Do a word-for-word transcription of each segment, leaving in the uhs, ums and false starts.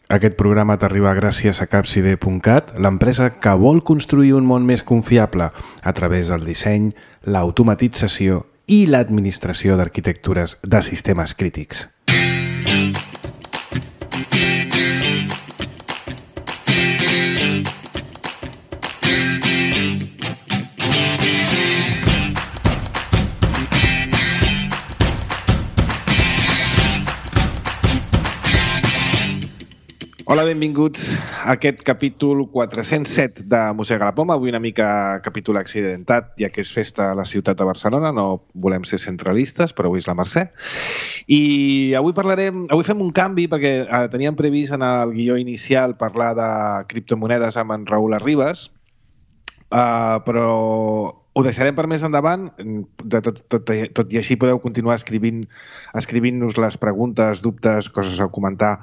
Aquest programa t'arriba gràcies a capside punt cat, l'empresa que vol construir un món més confiable a través del disseny, l'automatització i l'administració d'arquitectures de sistemes crítics. Hola, benvinguts a aquest capítol quatre-cents set de Mossega la Poma. Avui una mica capítol accidentat, ja que és festa a la ciutat de Barcelona. No volem ser centralistes, però avui és la Mercè. I avui parlarem, avui fem un canvi perquè eh, teníem previst en el guió inicial parlar de criptomonedes amb en Raül Arribas, uh, però ho deixarem per més endavant. De tot, tot, tot i així podeu continuar escrivint, escrivint-nos les preguntes, dubtes, coses a comentar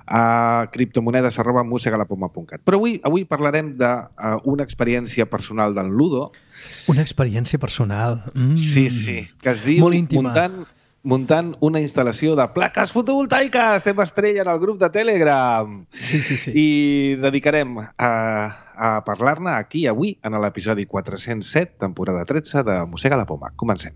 a criptomonedes arroba mosegalapoma punt cat. Però avui, avui parlarem d'una uh, experiència personal d'en Ludo. Una experiència personal. Mm. Sí, sí, que es diu muntant, muntant una instal·lació de plaques fotovoltaiques. Estem estrella en el grup de Telegram. Sí, sí, sí. I dedicarem a, a parlar-ne aquí avui en l'episodi quatre-cents set, temporada tretze de Mossega la Poma. Comencem.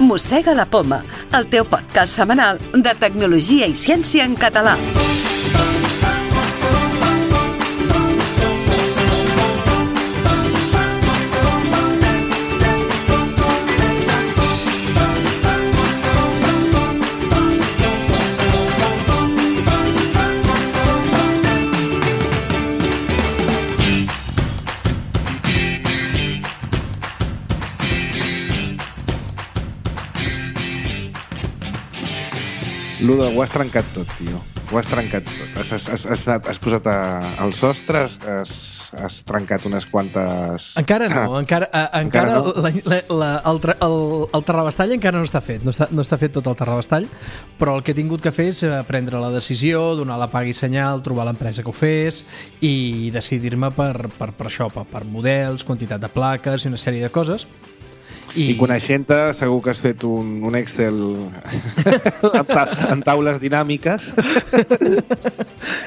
Mossega la Poma, el teu podcast setmanal de tecnologia i ciència en català. Ludo, ho has trencat tot, tio. Ho has trencat tot. Has, has, has, has posat a, al sostre, has, has trencat unes quantes... Encara no, encara, a, encara, encara no? La, la, la, el, el, el terrabastall encara no està fet, no està, no està fet tot el terrabastall, però el que he tingut que fer és prendre la decisió, donar la paga i senyal, trobar l'empresa que ho fes i decidir-me per, per, per això, per, per models, quantitat de plaques i una sèrie de coses. I, I coneixent-te, segur que has fet un, un Excel en, ta, en taules dinàmiques.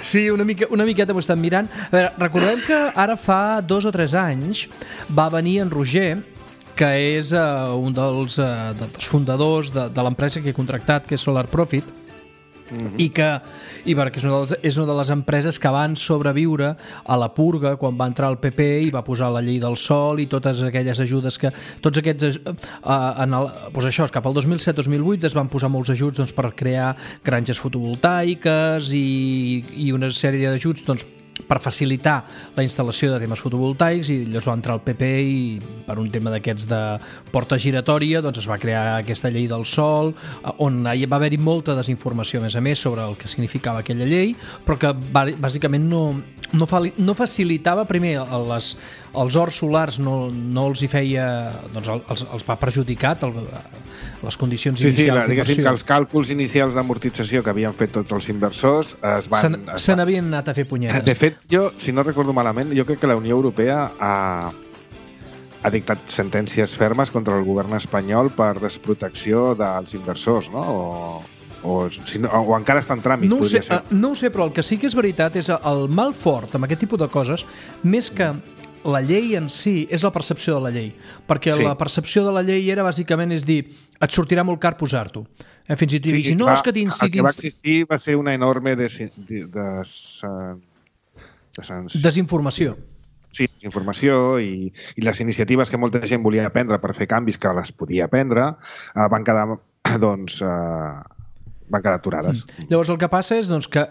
Sí, una, mica, una miqueta m'ho estan mirant. A veure, recordem que ara fa dos o tres anys va venir en Roger, que és uh, un dels, uh, dels fundadors de, de l'empresa que he contractat, que és Solar Profit, Mm-hmm. i que i perquè és una, de les, és una de les empreses que van sobreviure a la purga quan va entrar el P P i va posar la llei del sol i totes aquelles ajudes que tots aquests uh, en el, doncs això, cap al dos mil set dos mil vuit es van posar molts ajuts doncs, per crear granges fotovoltaiques i, i una sèrie d'ajuts doncs, per facilitar la instal·lació de temes fotovoltaics i llavors va entrar el P P i per un tema d'aquests de porta giratòria doncs es va crear aquesta llei del sol on va haver-hi molta desinformació a més a més sobre el que significava aquella llei però que bàsicament no, no, fa, no facilitava primer les, els horts solars no, no els hi feia doncs els, els va perjudicat el, les condicions sí, inicials sí, diguéssim que els càlculs inicials d'amortització que havien fet tots els inversors es van... Se, se n'havien anat a fer punyetes. De fet, jo, si no recordo malament, jo crec que la Unió Europea ha, ha dictat sentències fermes contra el govern espanyol per desprotecció dels inversors, no? O, o, si no, o encara està en tràmit, no podria sé, ser. No ho sé, però el que sí que és veritat és el mal fort amb aquest tipus de coses, més que la llei en si és la percepció de la llei, perquè sí. La percepció de la llei era bàsicament és dir, et sortirà molt car posar-t'ho. Eh, fins i tot sí, dir, no, va, és que tins, el que va existir va ser una enorme des, des, des, des, desinformació. Sí, desinformació i, i les iniciatives que molta gent volia prendre per fer canvis que les podia prendre eh, van quedar doncs, eh, van quedar aturades. Mm. Llavors el que passa és doncs, que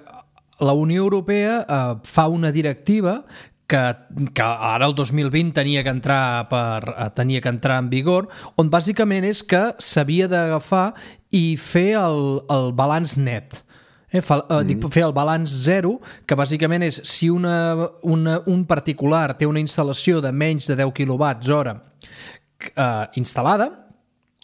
la Unió Europea eh, fa una directiva que, que ara el dos mil vint tenia que entrar per tenia que entrar en vigor, on bàsicament és que s'havia d'agafar i fer el, el balanç net. Eh, fa, eh, dic, fer el balanç zero, que bàsicament és si una, una, un particular té una instal·lació de menys de deu quilowatts hora eh, instal·lada,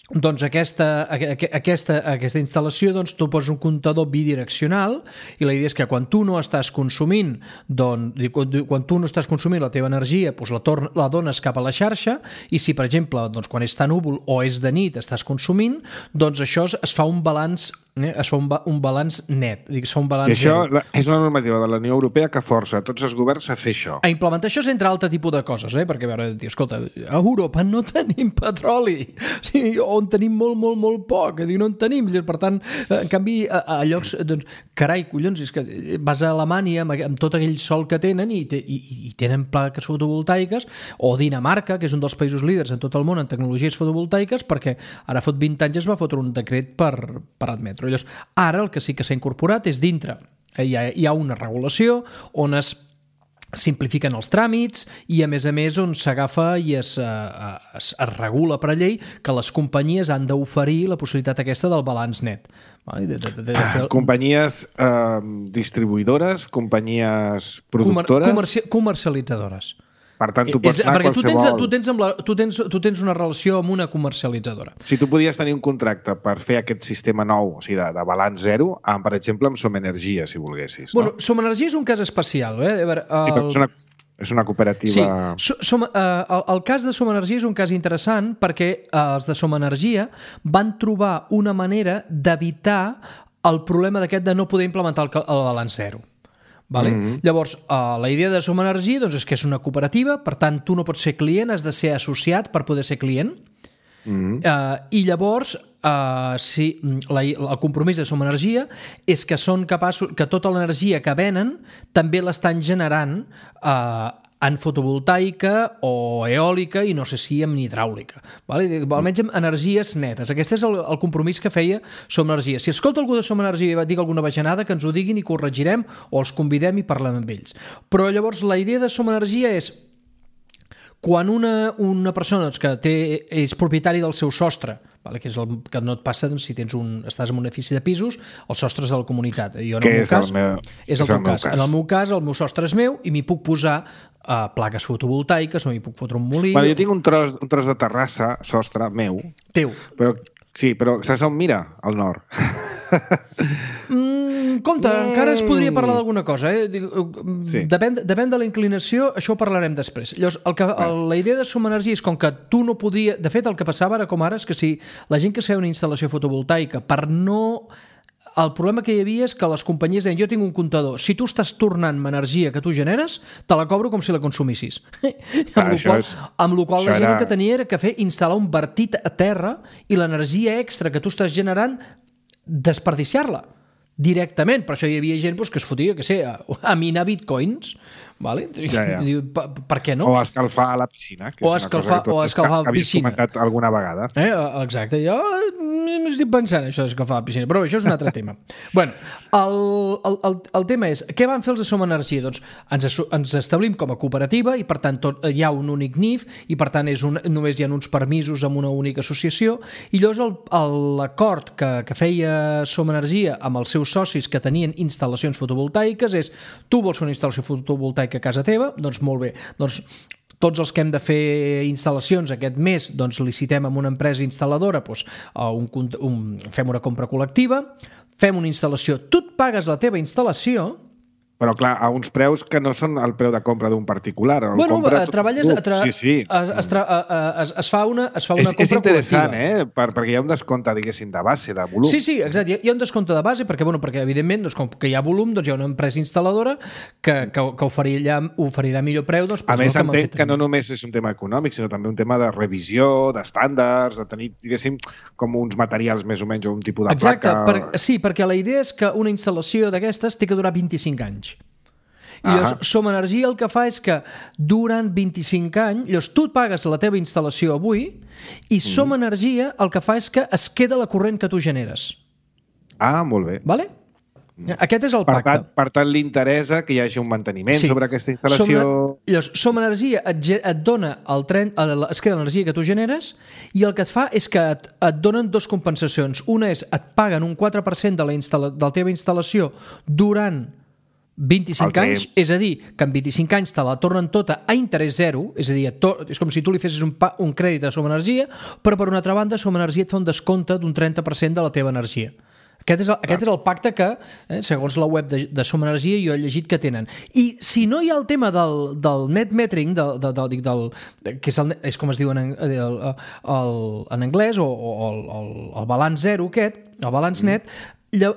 doncs aquesta, aquesta, aquesta instal·lació, doncs tu poses un comptador bidireccional i la idea és que quan tu no estàs consumint, doncs, quan tu no estàs consumint la teva energia, doncs la, torn, la dones cap a la xarxa, i si, per exemple, doncs, quan és tan núvol o és de nit estàs consumint, doncs això es fa un balanç eh? es fa un, ba un balanç net, es fa un balanç I això zero. És una normativa de la Unió Europea que força tots els governs a fer això. A implementar això és entre altre tipus de coses, eh? Perquè, a veure, escolta, a Europa no tenim petroli, o sigui, on tenim molt, molt, molt poc, dic, no en tenim, per tant, en canvi, a, a llocs, doncs, carai, collons, és que vas a Alemanya amb, amb tot aquell sol que tenen i, te, i, i tenen plaques fotovoltaiques, o Dinamarca, que és un dels països líders en tot el món en tecnologies fotovoltaiques, perquè ara fot vint anys es va fotre un decret per, per admetre. Llavors, ara el que sí que s'ha incorporat és dintre. Hi ha, hi ha una regulació on es simplifiquen els tràmits i, a més a més, on s'agafa i es, es, es regula per llei que les companyies han d'oferir la possibilitat aquesta del balanç net. Vale? De, de, de, de fer... Companyies eh, distribuïdores, companyies productores... Comerci comercialitzadores. Per tant, tu pots és, anar perquè tu tens, qualsevol... tu, tens amb la, tu, tens, tu tens una relació amb una comercialitzadora. Si tu podies tenir un contracte per fer aquest sistema nou, o sigui, de, de balanç zero, amb, per exemple, amb Som Energia, si volguessis. No? Bueno, Som Energia és un cas especial. Eh? A veure, el... Sí, però és una, és una cooperativa... Sí, som, eh, el, el cas de Som Energia és un cas interessant perquè eh, els de Som Energia van trobar una manera d'evitar el problema d'aquest de no poder implementar el, el balanç zero. Vale? Mm-hmm. Llavors, uh, la idea de Som Energia doncs, és que és una cooperativa, per tant, tu no pots ser client, has de ser associat per poder ser client. Mm-hmm. uh, I llavors, uh, si, la, el compromís de Som Energia és que són capaços, que tota l'energia que venen també l'estan generant uh, en fotovoltaica o eòlica i no sé si en hidràulica. Vale? Almenys amb energies netes. Aquest és el, el compromís que feia Som Energia. Si escolta algú de Som Energia i va dir alguna bajanada, que ens ho diguin i corregirem o els convidem i parlem amb ells. Però llavors la idea de Som Energia és quan una, una persona doncs, que té, és propietari del seu sostre, vale, que és el que no et passa doncs, si tens un, estàs en un edifici de pisos, els sostres de la comunitat. Jo, en el meu cas, el meu, és el, és el meu cas. cas. En el meu cas, el meu sostre és meu i m'hi puc posar uh, plaques fotovoltaiques o m'hi puc fotre un molí. Bueno, jo tinc un tros, un tros de terrassa, sostre, meu. Teu. Però, sí, però saps on mira? Al nord. Mm, compte, mm. encara es podria parlar d'alguna cosa. Eh? Sí. Depèn, depèn de la inclinació, això ho parlarem després. Llavors, el que, el, la idea de Som Energia és com que tu no podia... De fet, el que passava ara com ara és que si la gent que es feia una instal·lació fotovoltaica per no... El problema que hi havia és que les companyies deien jo tinc un comptador, si tu estàs tornant-me energia que tu generes, te la cobro com si la consumissis. Ah, amb, qual, és, amb la qual la gent era... el que tenia era que fer instal·lar un vertit a terra i l'energia extra que tu estàs generant desperdiciar-la directament. Per això hi havia gent doncs, que es fotia, que sé, a, a minar bitcoins, vale? Ja, ja. Diu, per, per què no? O escalfar a la piscina, que o és escalfar, una cosa que o escalfar a la piscina. Havies comentat alguna vegada. Eh, exacte, jo m'estic pensant això d'escalfar a la piscina, però això és un altre tema. Bueno, el, el, el, el tema és, què van fer els de Som Energia? Doncs ens, ens establim com a cooperativa i per tant tot, hi ha un únic N I F i per tant és un, només hi ha uns permisos amb una única associació i llavors l'acord que, que feia Som Energia amb els seus socis que tenien instal·lacions fotovoltaiques és tu vols fer una instal·lació fotovoltaica a casa teva? Doncs molt bé, doncs tots els que hem de fer instal·lacions aquest mes doncs licitem amb una empresa instal·ladora, doncs, un, un, fem una compra col·lectiva, fem una instal·lació, tu et pagues la teva instal·lació. Però, clar, a uns preus que no són el preu de compra d'un particular. El bueno, treballes... Tra... Sí, sí. Es, es, tra... es, es fa una, es fa una és, compra és interessant, col·lectiva. Eh? Per, perquè hi ha un descompte, diguéssim, de base, de volum. Sí, sí, exacte. Hi ha un descompte de base perquè, bueno, perquè evidentment, doncs, com que hi ha volum, doncs hi ha una empresa instal·ladora que, que, que oferirà, oferirà millor preu. Doncs, a més, que entenc fet... que no només és un tema econòmic, sinó també un tema de revisió, d'estàndards, de tenir, diguéssim, com uns materials més o menys, o un tipus de exacte, placa... Exacte, per... sí, perquè la idea és que una instal·lació d'aquestes té que durar vint-i-cinc anys. I llavors, Som Energia el que fa és que durant vint-i-cinc anys, llavors tu pagues la teva instal·lació avui i Som mm. Energia el que fa és que es queda la corrent que tu generes. Ah, molt bé. Vale? Aquest és el per pacte. Tant, per tant, li interessa que hi hagi un manteniment sí. sobre aquesta instal·lació... Som, llavors, Som Energia et, et dona el tren, es queda l'energia que tu generes i el que et fa és que et, et donen dues compensacions. Una és et paguen un quatre per cent de la, instal·la, de la teva instal·lació durant vint-i-cinc anys, és a dir, que en vint-i-cinc anys te la tornen tota a interès zero, és a dir, to, és com si tu li fessis un, pa, un crèdit a Som Energia, però per una altra banda Som Energia et fa un descompte d'un trenta per cent de la teva energia. Aquest és el, aquest és el pacte que, eh, segons la web de, de Som Energia, jo he llegit que tenen. I si no hi ha el tema del, del net metering, del, del, del, del, del, que és, el, és com es diu en, el, el, en anglès, o, o el, el, el balanç zero aquest, el balanç net, lla,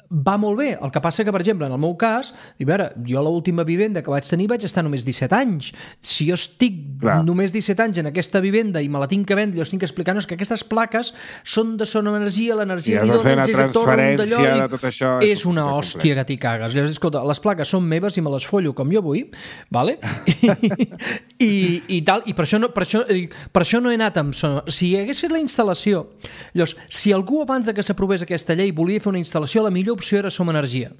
va molt bé. El que passa que, per exemple, en el meu cas, a veure, jo l'última vivenda que vaig tenir vaig estar només disset anys. Si jo estic Clar. només disset anys en aquesta vivenda i me la tinc que vendre, jo estic explicant que aquestes plaques són de Som Energia, l'energia que dona ells és a torn d'allò i de tot això és una hòstia que t'hi cagues. Llavors, escolta, les plaques són meves i me les follo com jo vull, vale? I, i, i tal, i per això no, per això, per això no he anat amb Som... Si hagués fet la instal·lació, llavors, si algú abans de que s'aprovés aquesta llei volia fer una instal·lació, la millor opció era Som Energia,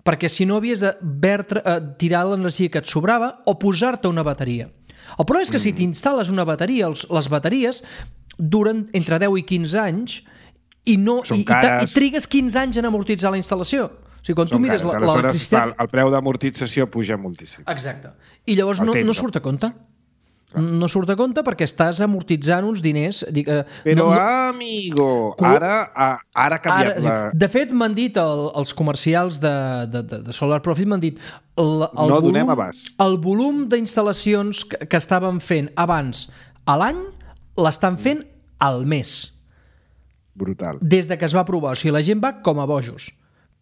perquè si no havies de vertre, eh, tirar l'energia que et sobrava o posar-te una bateria. El problema és que mm. si t'instal·les una bateria, els, les bateries duren entre deu i quinze anys i, no, i, i, i trigues quinze anys en amortitzar la instal·lació. O sigui, quan Són tu mires l'electricitat... El, el preu d'amortització puja moltíssim. Exacte. I llavors no, no surt a compte. No surt a compte perquè estàs amortitzant uns diners... Dic, eh, Però, no, no... amigo, ara, ara ha canviat ara, la... De fet, m'han dit el, els comercials de, de, de Solar Profit, m'han dit el, el no volum, donem abast. El volum d'instal·lacions que, que estaven fent abans a l'any l'estan fent al mes. Brutal. Des de que es va aprovar. O sigui, la gent va com a bojos.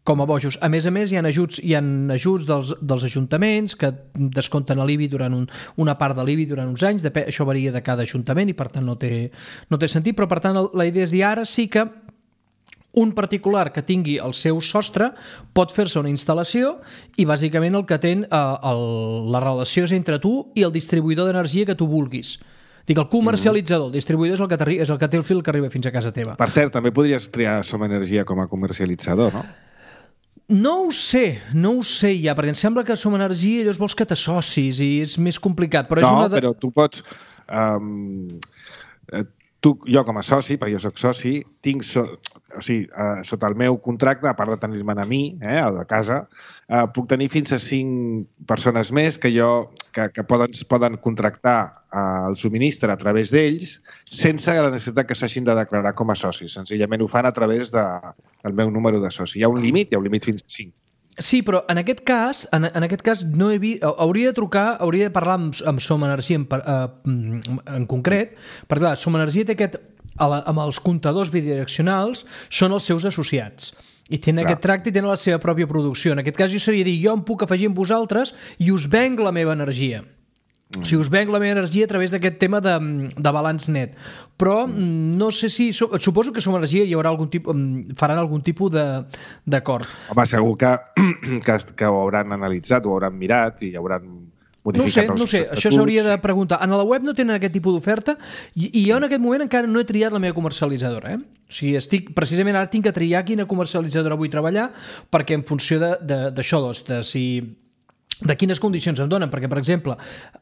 Com a bojos. A més a més, hi ha ajuts, hi ha ajuts dels, dels ajuntaments que descompten l'I B I durant un, una part de l'I B I durant uns anys. Dep això varia de cada ajuntament i, per tant, no té, no té sentit. Però, per tant, la idea és dir ara sí que un particular que tingui el seu sostre pot fer-se una instal·lació i, bàsicament, el que té eh, el, la relació és entre tu i el distribuïdor d'energia que tu vulguis. Dic, el comercialitzador, el distribuïdor és el, que és el que té el fil que arriba fins a casa teva. Per cert, també podries triar Som Energia com a comercialitzador, no? No ho sé, no ho sé ja, perquè em sembla que Som Energia llavors vols que t'associs i és més complicat. Però no, és una de... però tu pots... Um, tu, jo com a soci, perquè jo soc soci, tinc so, o sigui, uh, sota el meu contracte, a part de tenir-me'n a mi, eh, a la casa, uh, puc tenir fins a cinc persones més que jo que, que poden, poden contractar uh, el subministre a través d'ells sense la necessitat que s'hagin de declarar com a socis. Senzillament ho fan a través de, del meu número de soci. Hi ha un límit, hi ha un límit fins a cinc. Sí, però en aquest cas, en, en aquest cas no he vist, hauria de trucar, hauria de parlar amb, amb Som Energia en, uh, en concret, perquè clar, Som Energia té aquest, amb els comptadors bidireccionals, són els seus associats. I tenen clar. Aquest tracte i tenen la seva pròpia producció. En aquest cas jo seria dir, jo em puc afegir amb vosaltres i us venc la meva energia. Mm. O sigui, us venc la meva energia a través d'aquest tema de, de balanç net. Però mm. no sé si... Suposo que Som Energia hi haurà algun tipus, faran algun tipus d'acord. Home, segur que, que, que ho hauran analitzat, ho hauran mirat i hauran modificat no ho sé, no ho sé. Això s'hauria de preguntar. En la web no tenen aquest tipus d'oferta i, i jo en aquest moment encara no he triat la meva comercialitzadora. Eh? O sigui, estic, precisament ara tinc que triar quina comercialitzadora vull treballar perquè en funció d'això, de, de, de si... de quines condicions em donen, perquè, per exemple,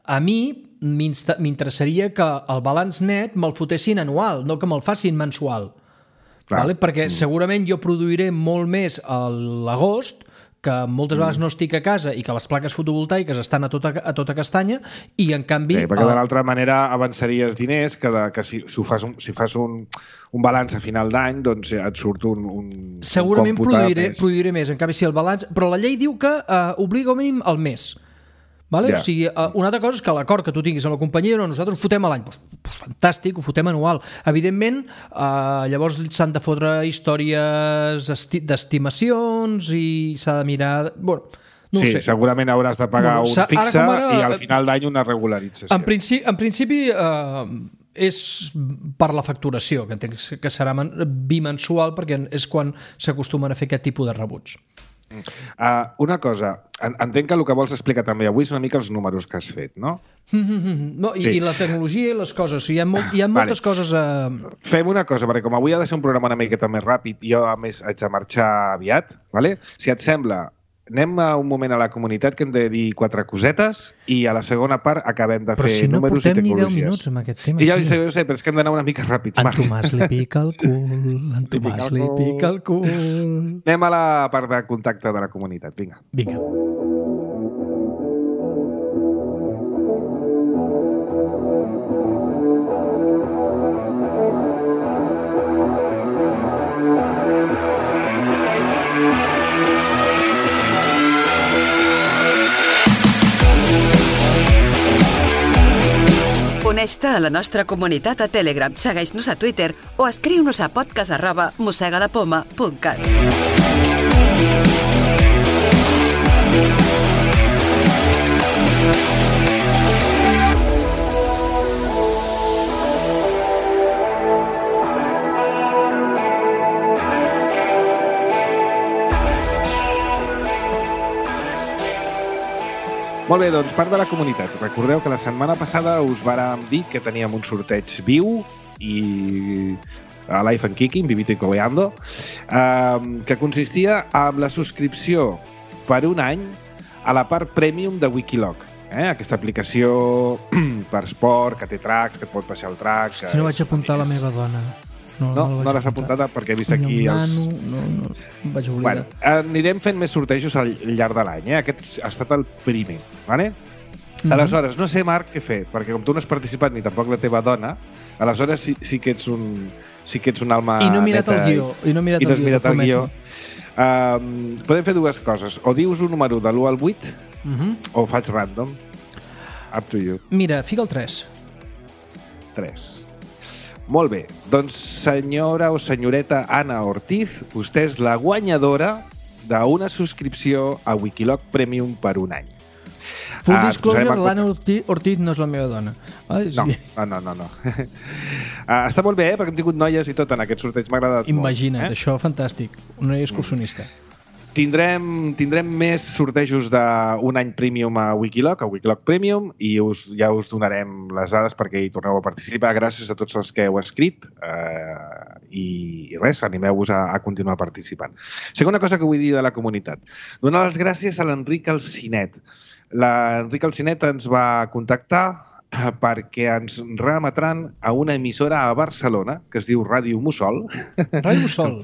a mi m'interessaria que el balanç net me'l fotessin anual, no que me'l facin mensual. Vale? Perquè segurament jo produiré molt més a l'agost, que moltes vegades no estic a casa i que les plaques fotovoltaiques estan a tota, a tota castanya i, en canvi... Sí, perquè de l'altra manera avançaries diners que, de, que si, si fas, un, si fas un, un balanç a final d'any, doncs et surt un, un segurament un produiré, més. produiré més. En canvi, si el balanç... Però la llei diu que uh, obliga a mínim al mes. Vale? Yeah. O sigui, uh, una altra cosa és que l'acord que tu tinguis amb la companyia, no, nosaltres ho fotem a l'any. Pues, pues, fantàstic, ho fotem anual. Evidentment, uh, llavors s'han de fotre històries d'estimacions i s'ha de mirar... Bueno, no sí, ho sé. Segurament hauràs de pagar bueno, un fixe ara ara, i al final d'any una regularització. En principi, en principi uh, és per la facturació, que entenc que serà bimensual perquè és quan s'acostumen a fer aquest tipus de rebuts. Uh, una cosa, entenc que el que vols explicar també avui és una mica els números que has fet, no? no i, sí. I la tecnologia i les coses, o sigui, hi ha, molt, hi ha moltes vale. coses a... Fem una cosa, perquè com avui ha de ser un programa una miqueta més ràpid i jo a més haig de marxar aviat, vale? Si et sembla, anem a un moment a la comunitat que hem de dir quatre cosetes i a la segona part acabem de però fer si no números i portem ni deu tecnologies. minuts amb aquest tema. I ja ho tio. sé, ho sé, però és que hem d'anar una mica ràpids, En Marc. Tomàs li pica el cul, en Tomàs li pica el cul. Anem a la part de contacte de la comunitat, vinga. Vinga. Uneix-te a la nostra comunitat a Telegram, segueix-nos a Twitter o escriu-nos a podcast arroba mosegalapoma punt cat. Molt bé, doncs part de la comunitat. Recordeu que la setmana passada us vàrem dir que teníem un sorteig viu i a Life and Kicking, Vivito y Cobeando, eh, que consistia en la subscripció per un any a la part premium de Wikiloc. Eh? Aquesta aplicació per esport, que té tracks, que et pot passar el track... Si no vaig apuntar la meva dona. No, no, no, no l'has apuntada perquè he vist aquí els... Nano, no, no, em vaig oblidar. Bueno, anirem fent més sortejos al llarg de l'any, eh? Aquest ha estat el primer, ¿vale? Mm-hmm. Aleshores, no sé, Marc, què fer, perquè com tu no has participat ni tampoc la teva dona, aleshores sí, sí que ets un sí que ets un alma I no he mirat neta el guió, i no he mirat i no el has guió, mirat el guió. Um, podem fer dues coses, o dius un número de l'u al vuit, mm-hmm. o faig random. Up to you. Mira, fica el tres. tres. Molt bé, doncs senyora o senyoreta Anna Ortiz, vostè és la guanyadora d'una subscripció a Wikiloc Premium per un any. Full Ah, disclosure, posarem en l'Anna Ortiz, Ortiz no és la meva dona. Ai, sí. No, no, no, no. uh, està molt bé, eh? Perquè hem tingut noies i tot en aquest sorteig, m'ha agradat Imagina't, molt. Eh? això fantàstic. Una excursionista. Tindrem, tindrem més sortejos d'un any Premium a Wikiloc, a Wikiloc Premium, i us, ja us donarem les dades perquè hi torneu a participar. Gràcies a tots els que heu escrit eh, i, i res, animeu-vos a, a continuar participant. Segona cosa que vull dir de la comunitat. Donar les gràcies a l'Enric Alcinet. L'Enric Alcinet ens va contactar perquè ens remetran a una emissora a Barcelona que es diu Ràdio Mussol. Ràdio Mussol.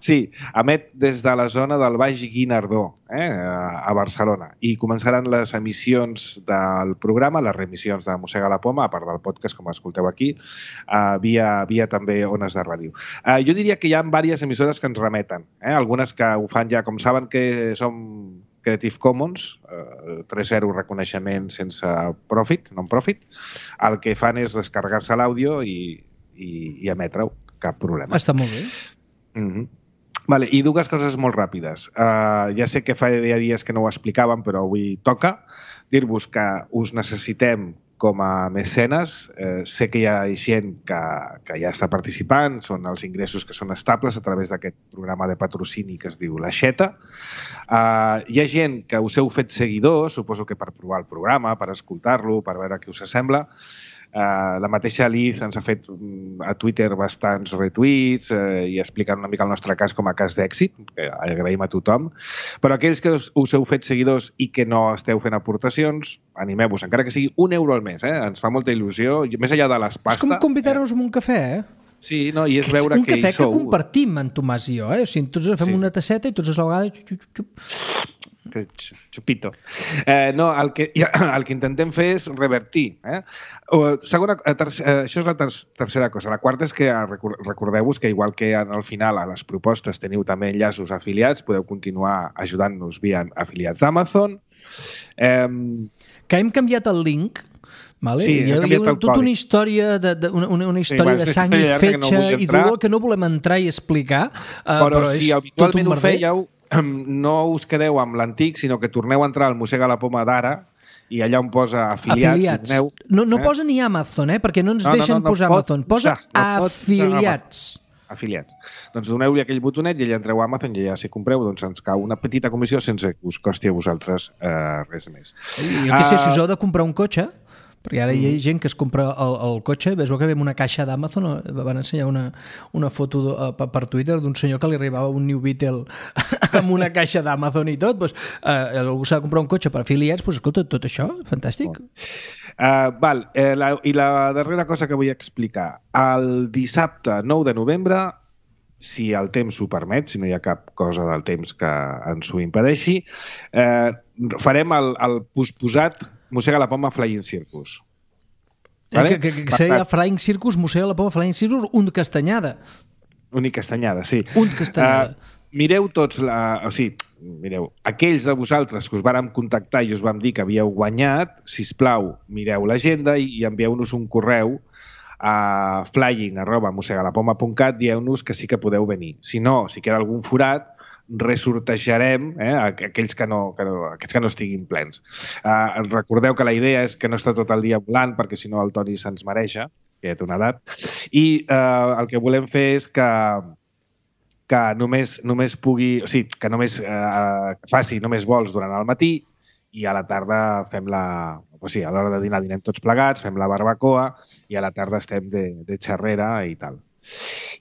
Sí, emet des de la zona del Baix Guinardó, eh, a Barcelona, i començaran les emissions del programa, les reemissions de Mossega la Poma, a part del podcast, com escolteu aquí, uh, via, via també ones de ràdio. Uh, jo diria que hi ha diverses emissores que ens remeten, eh, algunes que ho fan ja, com saben que som Creative Commons, eh, tres zero reconeixement sense profit, non-profit, el que fan és descarregar-se l'àudio i, i, i emetre-ho, cap problema. Està molt bé. Mm-hmm. Vale, i dues coses molt ràpides. Uh, ja sé que fa dies que no ho explicàvem, però avui toca dir-vos que us necessitem com a mecenes. Eh, sé que hi ha gent que, que ja està participant, són els ingressos que són estables a través d'aquest programa de patrocini que es diu l'Aixeta. Uh, hi ha gent que us heu fet seguidors, suposo que per provar el programa, per escoltar-lo, per veure què us sembla. Uh, la mateixa Liz ens ha fet a Twitter bastants retuits uh, i explicant una mica el nostre cas com a cas d'èxit, que agraïm a tothom, però aquells que us, us heu fet seguidors i que no esteu fent aportacions, animeu-vos, encara que sigui un euro al mes, eh? Ens fa molta il·lusió, més enllà de les pastes. És com convidar-nos a un cafè, eh? Sí, no, i és veure un que hi cafè sou. que compartim, en Tomàs i jo, eh? O sigui, tots fem Sí. una tasseta i tots a la vegada... Xup, xup, xup. Xupito. Eh, no, el que, el que intentem fer és revertir. Eh? O, segona, tercera, això és la ter tercera cosa. La quarta és que recordeu-vos que igual que al final a les propostes teniu també enllaços afiliats, podeu continuar ajudant-nos via afiliats d'Amazon. Eh, que hem canviat el link. Vale? Sí, hi ha, hi ha tota una història de, de, una, una història sí, de sang i fetge no i dolor que no volem entrar i explicar, uh, però, però si és habitualment tot un ho fèieu, no us quedeu amb l'antic, sinó que torneu a entrar al Mossega la Poma d'ara i allà on posa afiliats. afiliats. Doneu, no no eh? posa ni Amazon, eh? Perquè no ens no, deixen no, no, no posar pot Amazon. Posa usar, no afiliats. Afiliats. Doncs doneu-li aquell botonet i allà entreu a Amazon i ja si compreu doncs ens cau una petita comissió sense que us costi a vosaltres eh, res més. Jo què sé, si us heu de comprar un cotxe, Perquè ara hi ha gent que es compra el, el cotxe, ves que ve amb una caixa d'Amazon, van ensenyar una, una foto de, per Twitter d'un senyor que li arribava un New Beetle amb una caixa d'Amazon i tot, doncs, eh, algú s'ha de comprar un cotxe per afiliats, doncs escolta, tot això, fantàstic. Uh, val, eh, la, i la darrera cosa que vull explicar, el dissabte nou de novembre, si el temps ho permet, si no hi ha cap cosa del temps que ens ho impedeixi, eh, farem el, el posposat Mossega la Poma Flying Circus. Vale? Que, que, que seria Flying Circus, Mossega la Poma Flying Circus, un castanyada. Un castanyada, sí. Un castanyada. Uh, mireu tots, la, o sigui, mireu, aquells de vosaltres que us vàrem contactar i us vam dir que havíeu guanyat, sisplau, mireu l'agenda i, i envieu-nos un correu a flying arroba mossegalapoma punt cat, dieu-nos que sí que podeu venir. Si no, si queda algun forat, resortejarem eh, aquells, que no, que no, aquells que no estiguin plens. Uh, recordeu que la idea és que no està tot el dia volant, perquè si no el Toni se'ns mareja, que ja té una edat, i uh, el que volem fer és que que només, només pugui, o sigui, que només eh, faci només vols durant el matí i a la tarda fem la... O sigui, a l'hora de dinar dinem tots plegats, fem la barbacoa i a la tarda estem de, de xerrera i tal.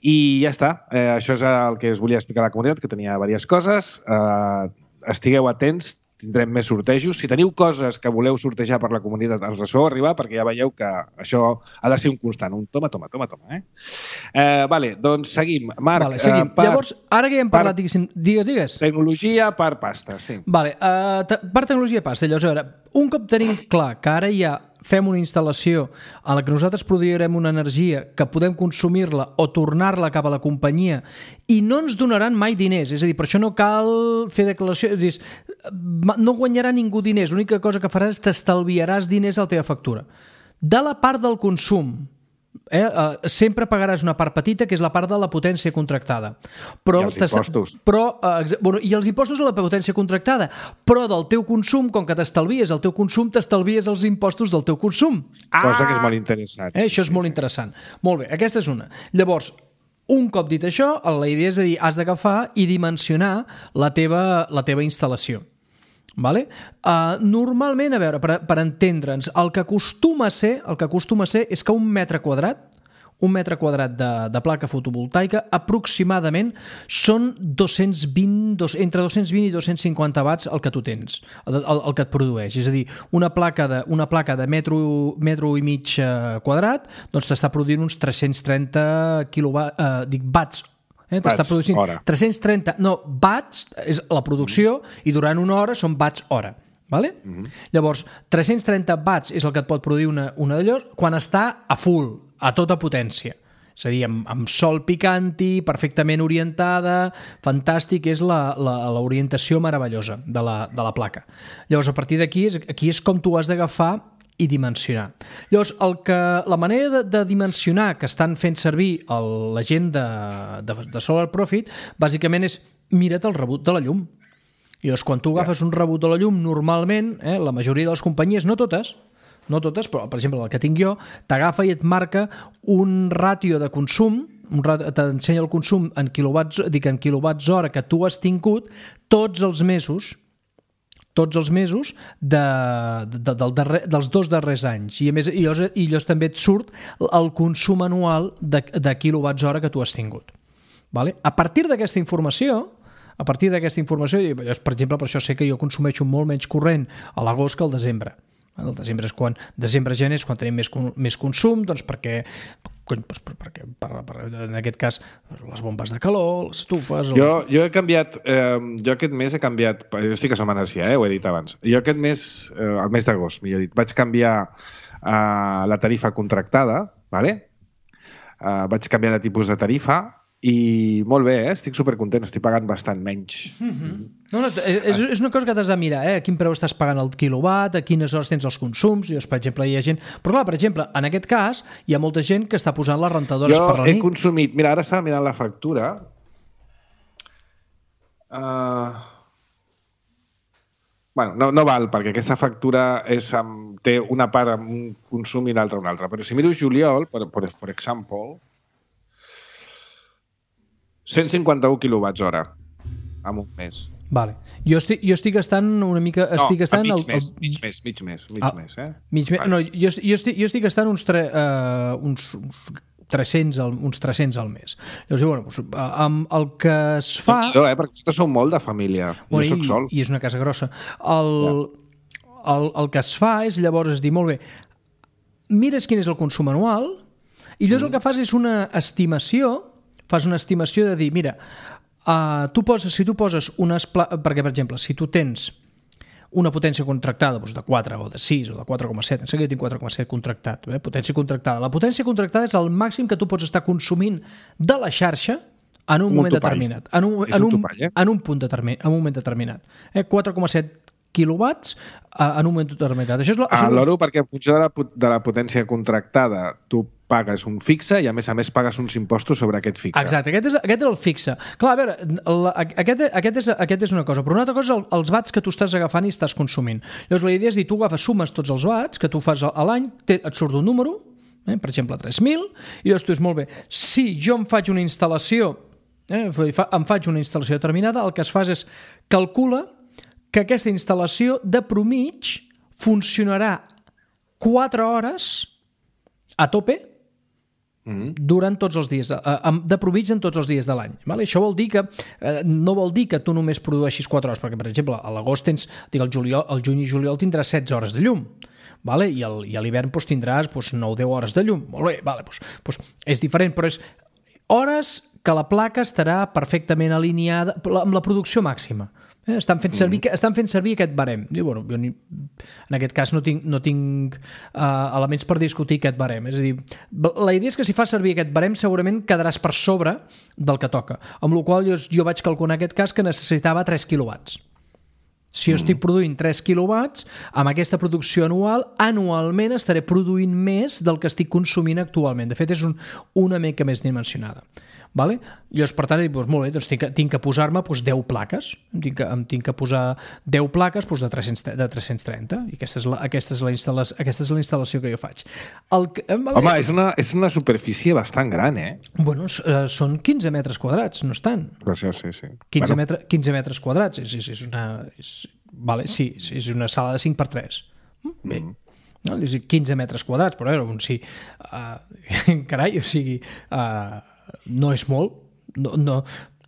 I ja està. Eh, això és el que us volia explicar a la comunitat, que tenia diverses coses. Eh, estigueu atents, tindrem més sortejos. Si teniu coses que voleu sortejar per la comunitat, ens les feu arribar, perquè ja veieu que això ha de ser un constant, un toma, toma, toma, toma. Eh? Eh, vale, doncs seguim. Marc, vale, seguim. Eh, per, Llavors, ara que ja hem parlat, digues, digues. Tecnologia per pasta, sí. Vale, uh, te, per tecnologia pasta, llavors, a veure, un cop tenim clar que ara ja fem una instal·lació a la que nosaltres produirem una energia que podem consumir-la o tornar-la cap a la companyia i no ens donaran mai diners, és a dir, per això no cal fer declaració, és a dir, no guanyarà ningú diners, l'única cosa que faràs és t'estalviaràs diners a la teva factura. De la part del consum, eh, eh, sempre pagaràs una part petita, que és la part de la potència contractada. Però I els impostos. Però, eh, bueno, I els impostos a la potència contractada, però del teu consum, com que t'estalvies el teu consum, t'estalvies els impostos del teu consum. Cosa ah! que és molt interessant. Eh, això és molt interessant. Molt bé, aquesta és una. Llavors, un cop dit això, la idea és a dir, has d'agafar i dimensionar la teva, la teva instal·lació. Vale? Uh, normalment, a veure, per, per entendre'ns, el que acostuma a ser, el que acostuma a ser és que un metre quadrat, un metre quadrat de, de placa fotovoltaica aproximadament són dos-cents vint, dos, entre dos-cents vint i dos-cents cinquanta watts el que tu tens, el, el, el que et produeix. És a dir, una placa de, una placa de metro, metro i mig quadrat doncs t'està produint uns tres-cents trenta quilowatts, eh, dic, watts Eh, t'està producint hora. tres-cents trenta, no, watts és la producció mm. i durant una hora són watts hora. Vale? Mm-hmm. Llavors, tres-cents trenta watts és el que et pot produir una, una d'allò quan està a full, a tota potència. És a dir, amb, amb sol picanti, perfectament orientada, fantàstic, és l'orientació meravellosa de la, de la placa. Llavors, a partir d'aquí, és, aquí és com tu has d'agafar i dimensionar. Llavors, el que, la manera de, de dimensionar que estan fent servir el, la gent de, de, de Solar Profit, bàsicament és mira't el rebut de la llum. Llavors, quan tu agafes un rebut de la llum, normalment, eh, la majoria de les companyies, no totes, no totes, però per exemple el que tinc jo, t'agafa i et marca un ràtio de consum, t'ensenya el consum en quilowatts, dic en quilowatts hora que tu has tingut tots els mesos tots els mesos de, de, del darrer, dels dos darrers anys. I a més, i llavors, i llavors també et surt el consum anual de, de quilowatts hora que tu has tingut. Vale? A partir d'aquesta informació, a partir d'aquesta informació, per exemple, per això sé que jo consumeixo molt menys corrent a l'agost que al desembre. El desembre és quan, desembre-gener és quan tenim més, més consum, doncs perquè, doncs perquè per, per, en aquest cas les bombes de calor, les estufes... Jo, o... jo he canviat, eh, jo aquest mes he canviat, jo estic a Som Energia, eh, ho he dit abans, jo aquest mes, eh, el mes d'agost, millor dit, vaig canviar eh, la tarifa contractada, vale? eh, vaig canviar de tipus de tarifa i molt bé, eh? Estic supercontent, estic pagant bastant menys. Mm-hmm. No, no, és, és una cosa que t'has de mirar, eh? A quin preu estàs pagant el quilowatt, a quines hores tens els consums, i per exemple hi ha gent... Però clar, per exemple, en aquest cas hi ha molta gent que està posant les rentadores jo per la nit. Jo he consumit... Mira, ara estava mirant la factura. Uh... Bueno, no, no val, perquè aquesta factura és amb, té una part amb un consum i l'altra una altra. Però si miro juliol, per, per, per exemple... cent cinquanta-un quilowatts hora en un mes. Vale. Jo estic, jo estic gastant una mica... Estic no, gastant mig, el, mes, el... mig mes, mig mes, mig ah, mes, eh? Mig mes, no, jo, jo, estic, jo estic gastant uns, tre, uh, uns, uns, tres-cents al, uns tres-cents al mes. Llavors, bueno, doncs, amb el que es fa... No, eh, perquè vosaltres sou molt de família. Bueno, jo soc sol. I, I és una casa grossa. El, ja. el, el que es fa és, llavors, es dir, molt bé, mires quin és el consum anual i llavors mm. el que fas és una estimació, fas una estimació de dir, mira, Uh, tu poses, si tu poses unes... Pla... perquè, per exemple, si tu tens una potència contractada doncs de quatre o de sis o de quatre coma set, em sembla que jo tinc quatre coma set contractat, eh? Potència contractada. La potència contractada és el màxim que tu pots estar consumint de la xarxa en un, un moment topall. determinat. En un, en un, un, topall, eh? en un punt determinat, en un moment determinat. Eh? quatre coma set quilowatts uh, en un moment determinat. Això és la, això ah, l'oro, perquè en funció de la, de la potència contractada tu pagues un fixe i a més a més pagues uns impostos sobre aquest fixe. Exacte, aquest és, aquest és el fixe. Clar, a veure, la, aquest, aquest, és, aquest és una cosa, però una altra cosa és el, els watts que tu estàs agafant i estàs consumint. Llavors la idea és dir, tu agafes, sumes tots els watts que tu fas a l'any, et surt un número, eh, per exemple tres mil, i llavors tu dius, molt bé, si jo em faig una instal·lació, eh, em faig una instal·lació determinada, el que es fa és calcula que aquesta instal·lació de promig funcionarà quatre hores a tope durant tots els dies, de promig en tots els dies de l'any. Vale? Això vol dir que no vol dir que tu només produeixis quatre hores, perquè, per exemple, a l'agost tens, dic, el, juliol, el juny i juliol tindràs setze hores de llum, vale? I, el, i a l'hivern doncs, tindràs doncs, nou o deu hores de llum. Molt bé, vale, doncs, doncs, és diferent, però és hores que la placa estarà perfectament alineada amb la producció màxima. Eh, estan, fent servir, mm. estan fent servir aquest barem. I, bueno, jo ni, en aquest cas no tinc, no tinc uh, elements per discutir aquest barem. És a dir, la idea és que si fas servir aquest barem segurament quedaràs per sobre del que toca. Amb la qual cosa jo, jo vaig calcular en aquest cas que necessitava tres quilowatts. Si jo mm. estic produint tres quilowatts, amb aquesta producció anual, anualment estaré produint més del que estic consumint actualment. De fet, és un, una mica més dimensionada. Vale? Llavors, per tant, doncs, molt bé, doncs tinc, tinc que posar-me doncs, deu plaques, em tinc, que, em tinc que posar deu plaques doncs, de, tres-cents, de tres-cents trenta, i aquesta és la, aquesta és la, instal·lació, aquesta és la instal·lació que jo faig. El, vale? Home, és una, és una superfície bastant gran, eh? Bueno, són quinze metres quadrats, no és tant. Gràcies, sí, sí. quinze, bueno. metre, quinze metres quadrats, és, és, és una... És, vale, sí, és una sala de cinc per tres. Bé. Mm. No? quinze metres quadrats, però a veure, sí, uh, carai, o sigui... Uh, no és molt, no, no,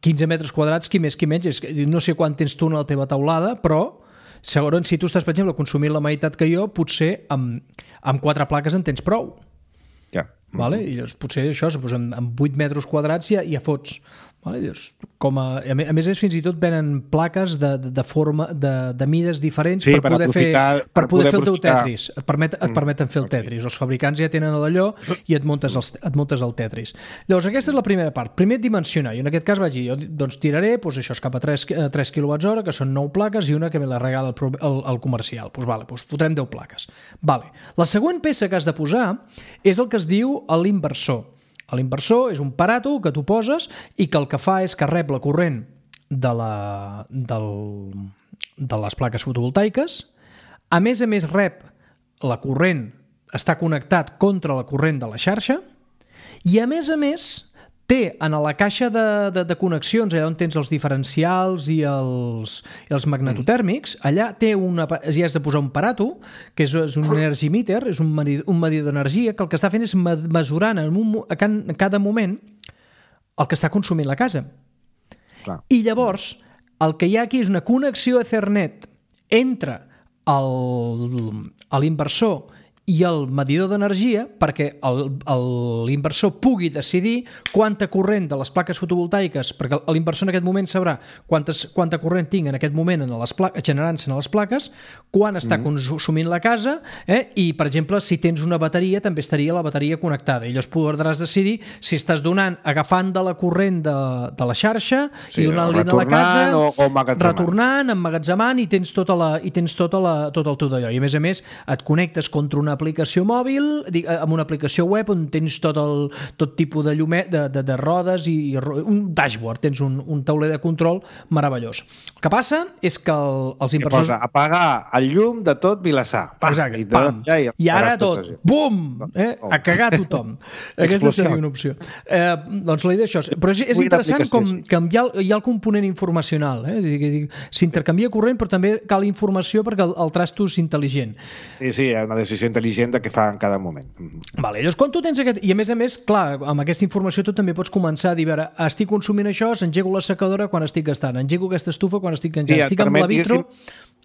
quinze metres quadrats, qui més qui menys, és, no sé quan tens tu a la teva taulada, però segons si tu estàs, per exemple, consumint la meitat que jo, potser amb, amb quatre plaques en tens prou. Ja. Vale? I llavors, potser això, doncs, amb, amb vuit metres quadrats ja, ja fots. Vale? Llavors, com a, a més, fins i tot venen plaques de, de, de forma de, de mides diferents sí, per, per poder fer, per, per poder poder fer el teu aprofitar. Tetris. Et, permet, et permeten fer el Tetris. Els fabricants ja tenen allò i et muntes, els, et muntes el Tetris. Llavors, aquesta és la primera part. Primer, dimensionar. I en aquest cas vaig dir, jo doncs, tiraré doncs, això és cap a tres quilowatts hora, que són nou plaques, i una que me la regala el, el, el comercial. Doncs, vale, doncs fotrem deu plaques. Vale. La següent peça que has de posar és el que es diu l'inversor. L'inversor és un aparato que tu poses i que el que fa és que rep la corrent de, la, del, de les plaques fotovoltaiques. A més a més rep la corrent, està connectat contra la corrent de la xarxa i a més a més té en la caixa de, de, de connexions, allà on tens els diferencials i els, i els magnetotèrmics, allà té una, ja has de posar un aparato, que és, és un energy meter, és un medidor, un medidor d'energia, que el que està fent és mesurant en, un, en cada moment el que està consumint la casa. Clar. I llavors, el que hi ha aquí és una connexió Ethernet entre l'inversor i el medidor d'energia perquè l'inversor pugui decidir quanta corrent de les plaques fotovoltaiques, perquè l'inversor en aquest moment sabrà quantes, quanta corrent tinc en aquest moment en les plaques, generant-se en les plaques, quan està mm. consumint la casa, eh? I, per exemple, si tens una bateria, també estaria la bateria connectada. I llavors podràs decidir si estàs donant, agafant de la corrent de, de la xarxa sí, i donant-li a la casa, o, o retornant, emmagatzemant, i tens, tota la, i tens tota la, tot el teu d'allò. I, a més a més, et connectes contra una una aplicació mòbil, amb una aplicació web on tens tot, el, tot tipus de llumet, de, de, de rodes i un dashboard, tens un, un tauler de control meravellós. El que passa és que el, els inversors... Que posa apagar el llum de tot Vilassar. Exacte, i, pam. I, I ara tot, bum, eh? A cagar tothom. Aquesta seria una opció. Eh, doncs la idea és això. Però és, és interessant com que hi ha, hi ha el component informacional. Eh? S'intercanvia corrent, però també cal informació perquè el, el trasto és intel·ligent. Sí, sí, hi ha una decisió intel·ligent de què fa en cada moment. Vale, llavors, quan tu tens aquest... I a més a més, clar, amb aquesta informació tu també pots començar a dir, a veure, estic consumint això, s'engego la secadora quan estic gastant, engego aquesta estufa quan estic engegat, sí, estic amb la vitro...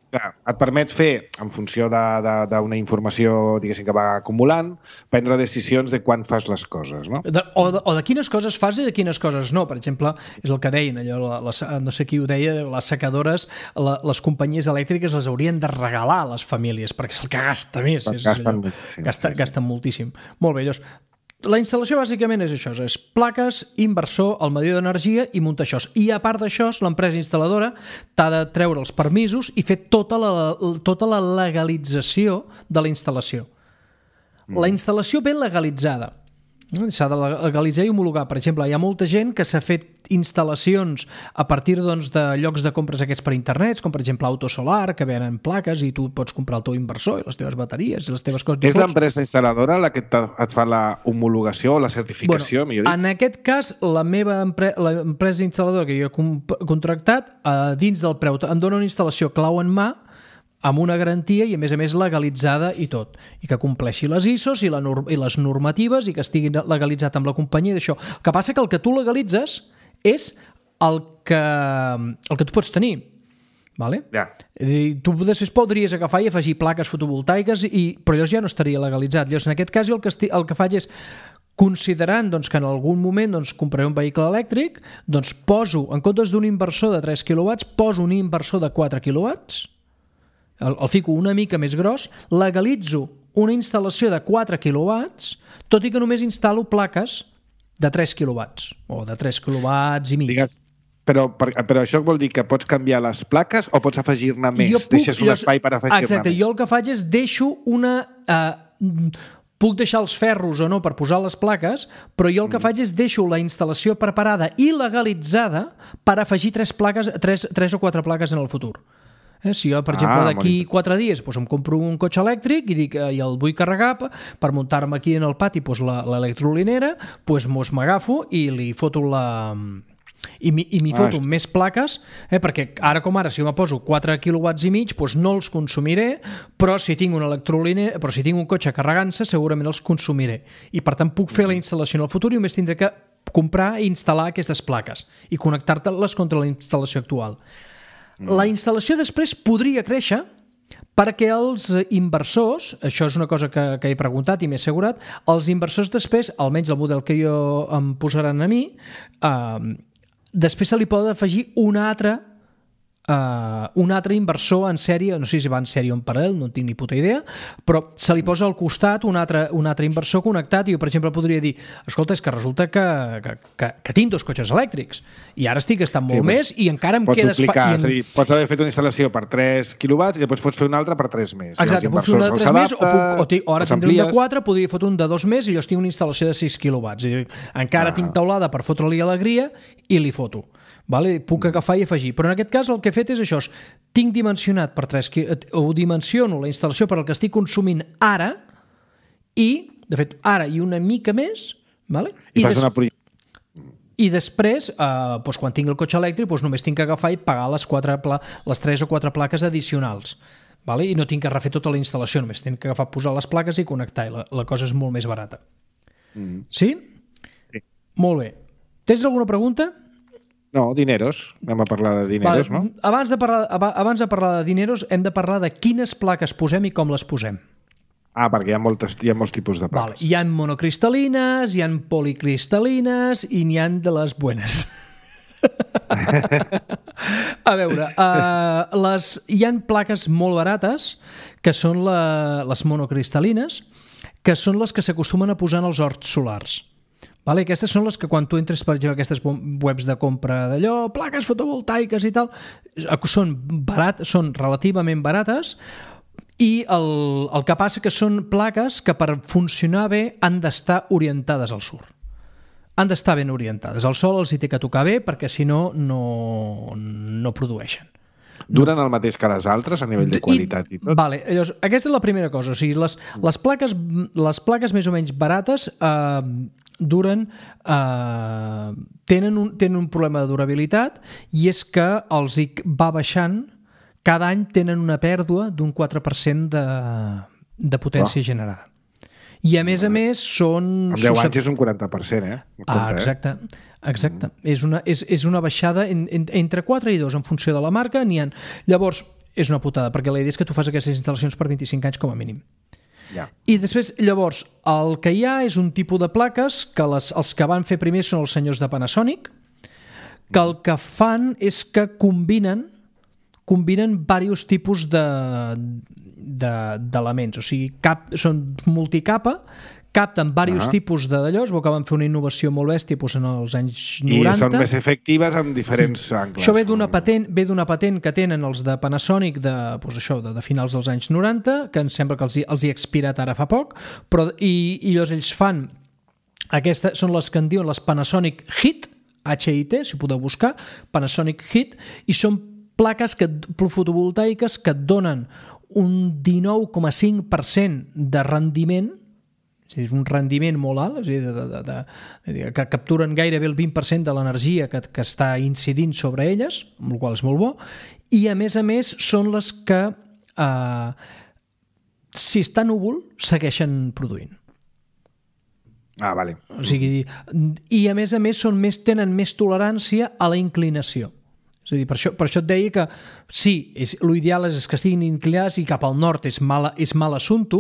Clar, et permet fer, en funció d'una informació, diguéssim, que va acumulant, prendre decisions de quan fas les coses, no? De, o, de, o de quines coses fas i de quines coses no. Per exemple, és el que deien, allò, la, la, no sé qui ho deia, les secadores, la, les companyies elèctriques les haurien de regalar a les famílies, perquè és el que gasta més. És, gasten, allò, sí, gasta, sí, sí. gasten moltíssim. Molt bé, llavors, la instal·lació bàsicament és això, és plaques, inversor, el medidor d'energia i muntar això. I a part d'això, l'empresa instal·ladora t'ha de treure els permisos i fer tota la, tota la legalització de la instal·lació. Mm. La instal·lació ben legalitzada. S'ha de legalitzar i homologar. Per exemple, hi ha molta gent que s'ha fet instal·lacions a partir doncs, de llocs de compres aquests per internet, com per exemple Autosolar, que venen plaques i tu pots comprar el teu inversor i les teves bateries i les teves coses. És l'empresa instal·ladora la que et fa la homologació o la certificació? Bueno, en aquest cas, la meva empre l'empresa instal·ladora que jo he contractat, eh, dins del preu, em dona una instal·lació clau en mà, amb una garantia i, a més a més, legalitzada i tot. I que compleixi les I S Os i, la i les normatives i que estigui legalitzat amb la companyia d'això. El que passa que el que tu legalitzes és el que, el que tu pots tenir. Vale? Ja. Tu després podries agafar i afegir plaques fotovoltaiques, i, però llavors ja no estaria legalitzat. Llavors, en aquest cas, jo el que, esti, el que faig és, considerant doncs, que en algun moment doncs, compraré un vehicle elèctric, doncs poso, en comptes d'un inversor de tres quilowatts, poso un inversor de quatre quilowatts, El, el fico una mica més gros, legalitzo una instal·lació de quatre quilowatts, tot i que només instal·lo plaques de tres quilowatts, o de tres quilowatts i mig. Digues, però, per, però això vol dir que pots canviar les plaques o pots afegir-ne més? Puc, Deixes un jo, espai per afegir-ne més? Exacte, jo el que faig és deixo una... Eh, puc deixar els ferros o no per posar les plaques, però jo el que mm. faig és deixo la instal·lació preparada i legalitzada per afegir tres, plaques, tres, tres o quatre plaques en el futur. Eh, si jo, per exemple, ah, d'aquí quatre dies doncs, em compro un cotxe elèctric i, dic, eh, i el vull carregar per muntar-me aquí en el pati doncs, l'electrolinera, doncs mos m'agafo i li foto la... i m'hi foto ah, més plaques, eh, perquè ara com ara, si me poso quatre quilowatts i mig, doncs no els consumiré, però si tinc un electrolinera, però si tinc un cotxe carregant-se, segurament els consumiré. I per tant puc fer la instal·lació en el futur i només tindré que comprar i instal·lar aquestes plaques i connectar-te-les contra la instal·lació actual. La instal·lació després podria créixer perquè els inversors, això és una cosa que, que he preguntat i m'he assegurat, els inversors després, almenys el model que jo em posaran a mi, eh, després se li pot afegir un altre, eh, un altre inversor en sèrie, no sé si va en sèrie o en paral·lel, no en tinc ni puta idea, però se li posa al costat un altre, un altre inversor connectat i jo, per exemple, podria dir, escolta, és que resulta que, que, que, que tinc dos cotxes elèctrics i ara estic gastant molt sí, més i encara em queda espai. En... És a dir, pots haver fet una instal·lació per tres quilowatts i després pots fer una altra per tres més. Exacte, puc fer una de tres més o, puc, o, t- o ara tindré un de quatre, podria fotre un de dos més i jo estic una instal·lació de sis quilowatts. I encara ah. tinc taulada per fotre-li alegria i li foto. Vale? Puc agafar i afegir. Però en aquest cas el que he fet és això. Tinc dimensionat per tres... o dimensiono la instal·lació per al que estic consumint ara i, de fet, ara i una mica més, vale? I, I fas des... una... I després, eh, doncs, quan tinc el cotxe elèctric, doncs només tinc que agafar i pagar les, quatre pla... les tres o quatre plaques addicionals. Vale? I no tinc que refer tota la instal·lació, només tinc que agafar, posar les plaques i connectar. I la, la cosa és molt més barata. Mm. Sí? Sí. Molt bé. Tens alguna pregunta? No, dineros. Anem a parlar de dineros, vale. No? Abans de, parlar, abans de parlar de dineros, hem de parlar de quines plaques posem i com les posem. Ah, perquè hi ha, moltes, hi ha molts tipus de plaques. Vale. Hi ha monocristal·lines, hi ha policristal·lines i n'hi ha de les buenas. A veure, uh, les, hi ha plaques molt barates que són la, les monocristal·lines, que són les que s'acostumen a posar en els horts solars. Vale, aquestes són les que quan tu entres, per exemple, aquestes webs de compra d'allò, plaques fotovoltaiques i tal, són, barat, són relativament barates I el, el que passa que són plaques que per funcionar bé han d'estar orientades al sur. Han d'estar ben orientades. El sol els hi té que tocar bé perquè si no, no, no produeixen. Duren el mateix que les altres a nivell de qualitat i, i tot? Vale, llavors, aquesta és la primera cosa. O sigui, les, les, plaques, les plaques més o menys barates eh, duren... Eh, tenen, un, tenen un problema de durabilitat i és que els hi va baixant. Cada any tenen una pèrdua d'un quatre per cent de, de potència oh. generada. I a més a més són... En deu anys és un quaranta per cent, eh? Compte, ah, exacte. Exacte. Mm. És, una, és, és una baixada en, en, entre quatre i dos en funció de la marca. N'hi ha... Llavors, és una putada, perquè la idea és que tu fas aquestes instal·lacions per vint-i-cinc anys com a mínim. Ja. I després, llavors, el que hi ha és un tipus de plaques que les, els que van fer primer són els senyors de Panasonic, que el que fan és que combinen combinen diversos tipus de, de, d'elements, o sigui, cap, són multicapa, capten diversos uh-huh. tipus de d'allò, es veu que van fer una innovació molt bèstia doncs, en els anys noranta. I són més efectives en diferents angles. Això ve d'una patent, ve d'una patent que tenen els de Panasonic de, doncs això, de, de finals dels anys noranta, que em sembla que els, els hi ha expirat ara fa poc, però, i, i llavors ells fan, aquestes són les que en diuen les Panasonic Hit, H I T, si podeu buscar, Panasonic Hit, i són plaques que, fotovoltaiques que et donen un dinou coma cinc per cent de rendiment, és un rendiment molt alt, és a dir, de, de, de, de, que capturen gairebé el vint per cent de l'energia que, que està incidint sobre elles, amb el qual és molt bo, i a més a més són les que, eh, si està núvol, segueixen produint. Ah, vale. O sigui, i a més a més són més, tenen més tolerància a la inclinació. És a dir, per això, per això et deia que sí, és, l'ideal és que estiguin inclinades i cap al nord és mal, és mal assumpte.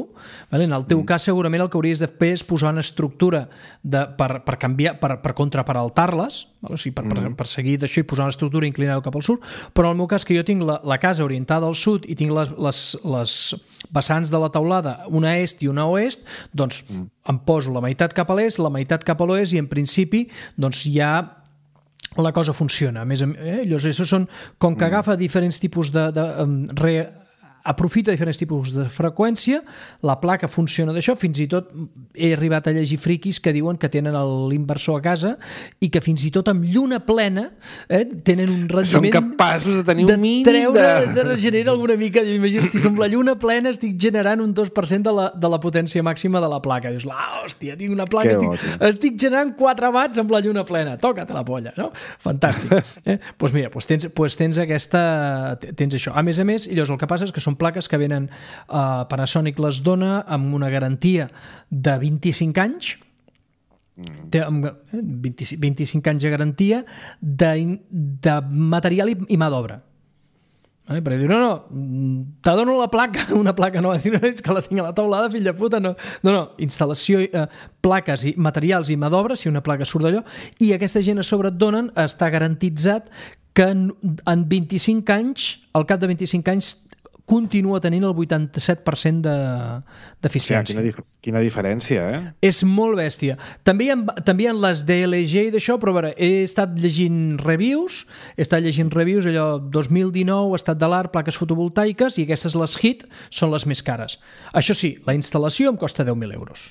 Vale? En el teu mm. cas segurament el que hauries de fer és posar una estructura de, per, per canviar, per, per contraparaltar-les, vale? O sigui, per, mm. per, per seguir d'això i posar una estructura inclinada cap al sud, però en el meu cas que jo tinc la, la casa orientada al sud i tinc les, les, les vessants de la teulada, una est i una oest, doncs mm. em poso la meitat cap a l'est, la meitat cap a l'oest i en principi doncs hi ha la cosa funciona. A més, eh, llavors, són, com que agafa diferents tipus de... de um, re, aprofita diferents tipus de freqüència, la placa funciona d'això, fins i tot he arribat a llegir friquis que diuen que tenen l'inversor a casa i que fins i tot amb lluna plena eh, tenen un rendiment... Són capaços de tenir un mínim de... treure, de regenerar alguna mica. Imagina, estic amb la lluna plena estic generant un dos per cent de la, de la potència màxima de la placa. Dius, ah, hòstia, tinc una placa, estic, estic generant quatre watts amb la lluna plena. Toca't la polla, no? Fantàstic. Eh? Doncs mira, doncs tens, doncs tens aquesta... tens això. A més a més, llavors el que passa és que són plaques que venen, uh, Panasonic les dona amb una garantia de vint-i-cinc anys, té vint-i-cinc anys de garantia de, de material i, i mà d'obra. Vale? Perquè diu, no, no, te dono la placa, una placa nova, no, és que la tinc a la taulada, fill de puta, no, no, no, instal·lació, eh, plaques i materials i mà d'obra, si una placa surt d'allò, i aquesta gent a sobre et donen, està garantitzat que en, en vint-i-cinc anys, al cap de vint-i-cinc anys, continua tenint el vuitanta-set per cent d'eficiència. De, quina, dif quina diferència, eh? És molt bèstia. També hi ha, també hi ha les D L G i d'això, però a veure, he estat llegint reviews, he estat llegint reviews, allò, dos mil dinou, estat de l'art, plaques fotovoltaiques, i aquestes, les Hit, són les més cares. Això sí, la instal·lació em costa deu mil euros.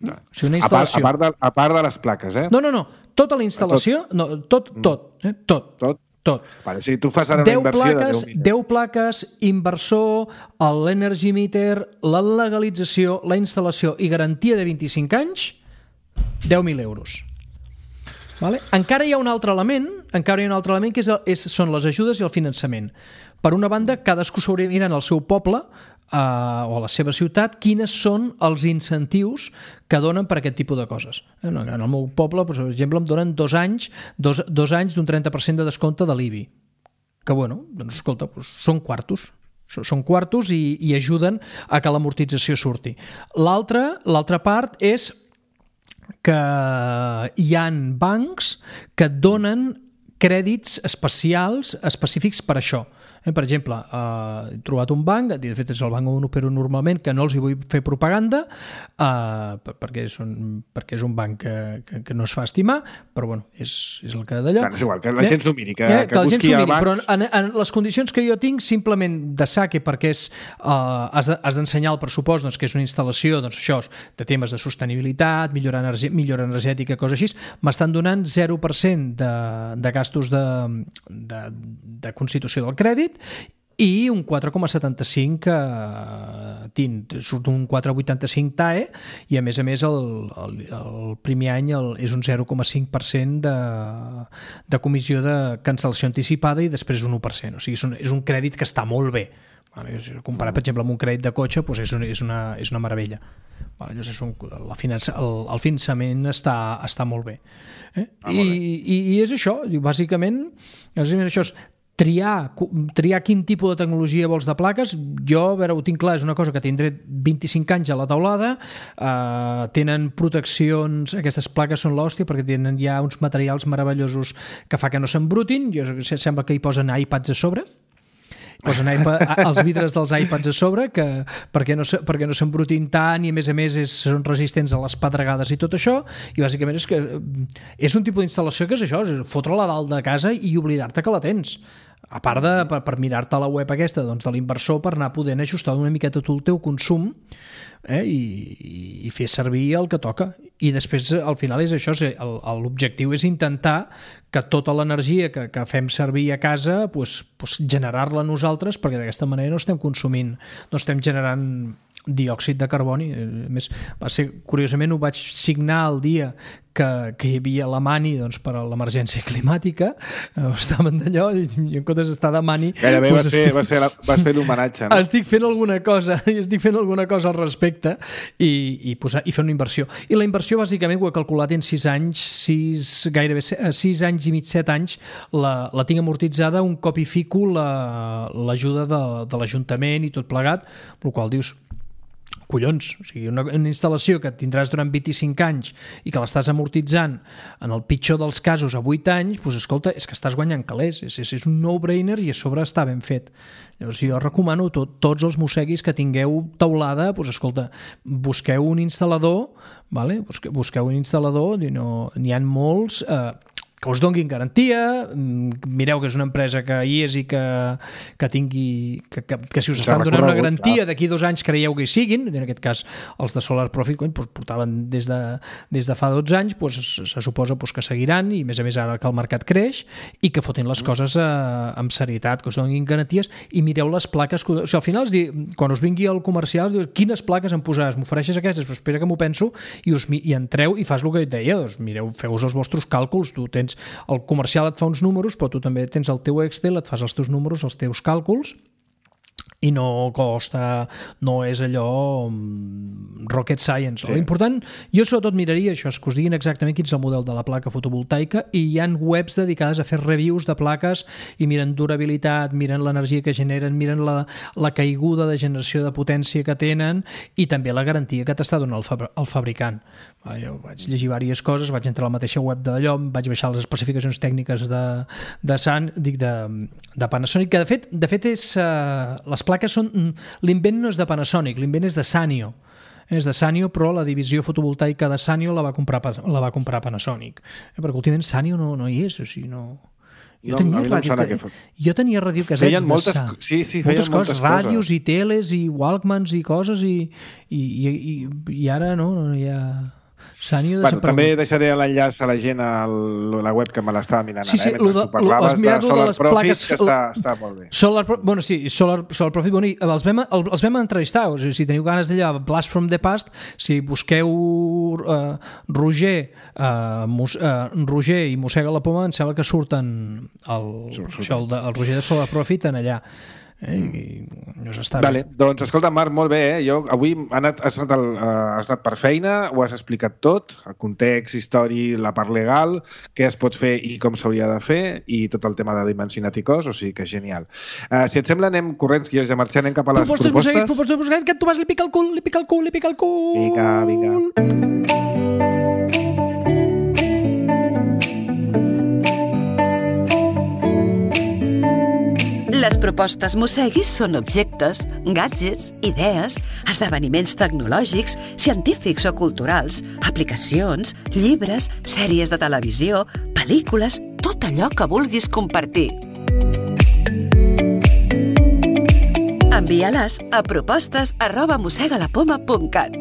No. O sigui, una instal·lació... a, part, a, part de, a part de les plaques, eh? No, no, no. Tota la instal·lació, tot, no, tot, tot, eh? tot. Tot? Tot. Vale, si tu fas ara una inversió plaques, de deu deu plaques, inversor, l'energy meter, la legalització, la instal·lació i garantia de vint-i-cinc anys, deu mil euros. Vale? Encara hi ha un altre element, encara hi ha un altre element que és, és, són les ajudes i el finançament. Per una banda, cadascú s'hauria de mirar en el seu poble eh, o a la seva ciutat quines són els incentius que donen per aquest tipus de coses. En el meu poble, per exemple, em donen dos anys dos, dos anys d'un trenta per cent de descompte de l'I B I. Que, bueno, doncs, escolta, doncs, són quartos. Són quartos i, i ajuden a que l'amortització surti. L'altra l'altra part és que hi ha bancs que donen crèdits especials, específics per això. Eh, per exemple, eh, he trobat un banc, de fet és el banc on opero normalment, que no els hi vull fer propaganda, eh, perquè, són, perquè és un banc que, que, que no es fa estimar, però bueno, és, és el que d'allò. Clar, és igual, que la gent s'ho miri, que, eh, que, que busqui a bancs... Però en, en les condicions que jo tinc, simplement de saque, perquè és, eh, has, de, has d'ensenyar el pressupost, doncs, que és una instal·lació, doncs això, de temes de sostenibilitat, millora, energi, millora energètica, coses així, m'estan donant zero per cent de, de gastos de, de, de constitució del crèdit i un quatre coma setanta-cinc eh, T I N, surt un quatre coma vuitanta-cinc T A E i a més a més el, el, el primer any el, és un zero coma cinc per cent de, de comissió de cancel·lació anticipada i després un u per cent, o sigui, és un, és un crèdit que està molt bé. Vale, comparat, per exemple, amb un crèdit de cotxe, doncs és, una, és, una, és una meravella. Vale, llavors és un, la finança, el, el finançament està, està molt bé. Eh? Ah, molt bé. I, i, I és això, bàsicament, bàsicament això és triar, triar quin tipus de tecnologia vols de plaques. Jo, a veure, ho tinc clar, és una cosa que tindré vint-i-cinc anys a la taulada, eh, tenen proteccions, aquestes plaques són l'hòstia perquè tenen ja uns materials meravellosos que fa que no s'embrutin, jo, sembla que hi posen iPads a sobre, posen iPad, els vidres dels iPads a sobre que, perquè no, perquè no s'embrutin tant i a més a més és, són resistents a les pedregades i tot això, i bàsicament és que és un tipus d'instal·lació que és això, és fotre-la dalt de casa i oblidar-te que la tens, a part de per, per mirar-te a la web aquesta, doncs, de l'inversor, per anar podent ajustar una miqueta tu el teu consum, eh, i, i fer servir el que toca. I després al final és això, l'objectiu és intentar que tota l'energia que, que fem servir a casa pues, pues generar-la nosaltres, perquè d'aquesta manera no estem consumint, no estem generant diòxid de carboni. A més, va ser, curiosament ho vaig signar el dia que, que hi havia la Mani, doncs, per a l'emergència climàtica, estaven d'allò i en comptes d'estar de Mani gairebé doncs vas, fer, estic, vas, fer la, vas fer l'homenatge, no? estic fent alguna cosa i estic fent alguna cosa al respecte i, i, posar, i fer una inversió, i la inversió bàsicament ho he calculat en sis anys sis, gairebé sis anys i mig, set anys la, la tinc amortitzada un cop hi fico l'ajuda la, de, de l'Ajuntament i tot plegat, el qual dius collons, o sigui, una, una instal·lació que tindràs durant vint-i-cinc anys i que l'estàs amortitzant en el pitjor dels casos a vuit anys, doncs escolta, és que estàs guanyant calés, és, és, és un no-brainer i a sobre està ben fet. Llavors jo recomano tot, tots els mosseguis que tingueu taulada, doncs escolta, busqueu un instal·lador, vale? busqueu, busqueu un instal·lador, n'hi ha molts, eh, que us donguin garantia, mireu que és una empresa que hi és i que, que tingui que, que, que si us estan donant una garantia d'aquí dos anys creieu que hi siguin, en aquest cas els de Solar Profit doncs, portaven des de, des de fa dotze anys, doncs, se suposa doncs, que seguiran i a més a més ara que el mercat creix i que fotin les coses eh, amb serietat, que us donin garanties i mireu les plaques, que, o sigui, al final es diu, quan us vingui el comercial dius, quines plaques em posaràs, m'ofereixes aquestes, pues espera que m'ho penso i, us, i entreu i fas el que et deia, doncs, mireu, feu-vos els vostres càlculs, tu tens el comercial et fa uns números, però tu també tens el teu Excel, et fas els teus números, els teus càlculs, i no costa, no és allò um, rocket science. Sí. L'important, jo sobretot miraria això, que us diguin exactament quin és el model de la placa fotovoltaica, i hi ha webs dedicades a fer reviews de plaques i miren durabilitat, miren l'energia que generen, miren la, la caiguda de generació de potència que tenen i també la garantia que t'està donant el, fabri el fabricant. Vale, jo vaig llegir diverses coses, vaig entrar a la mateixa web de d'allò, vaig baixar les especificacions tècniques de, de, San, dic de, de Panasonic, que de fet, de fet és, uh, les plaques són, l'invent no és de Panasonic, l'invent és de Sanyo, és de Sanyo, però la divisió fotovoltaica de Sanyo la va comprar, la va comprar Panasonic, eh, perquè últimament Sanyo no, no hi és, o sigui, no... Jo, no, tenia ràdio, no que, jo tenia radiocasets moltes, de Sa... sí, sí, moltes coses, moltes ràdios coses. I teles i Walkmans i coses i, i, i, i ara no, no hi ha... Sanyo bueno, també deixaré l'enllaç a la gent a la web que me l'estava mirant sí, sí, ara, eh, mentre de, tu parlaves de Solar de Profit, plaques, que està, està molt bé. Solar, bueno, sí, Solar, Solar Profit, bueno, els, vam, els vam entrevistar, o sigui, si teniu ganes d'allà, Blast from the Past, si busqueu uh, Roger, uh, Mus, uh, Roger i Mossega la Poma, em sembla que surten el, Surt, això, el, de, el Roger de Solar Profit en allà. Eh, i no s'està vale, bé. Doncs escolta, Marc, molt bé, eh? Jo avui ha anat, has, anat el, uh, has anat per feina, ho has explicat tot, el context, històric, la part legal, què es pot fer i com s'hauria de fer, i tot el tema de dimensionat i cos, o sigui que genial. Uh, si et sembla, anem corrents, que jo ja marxem, anem cap a les propostes. Propostes, propostes, propostes, que tu vas, li pica el cul, li pica el cul, li pica el cul. Vinga, vinga. Les propostes Mosseguis són objectes, gadgets, idees, esdeveniments tecnològics, científics o culturals, aplicacions, llibres, sèries de televisió, pel·lícules, tot allò que vulguis compartir. Envia-les a propostes arroba mossegalapoma punt cat.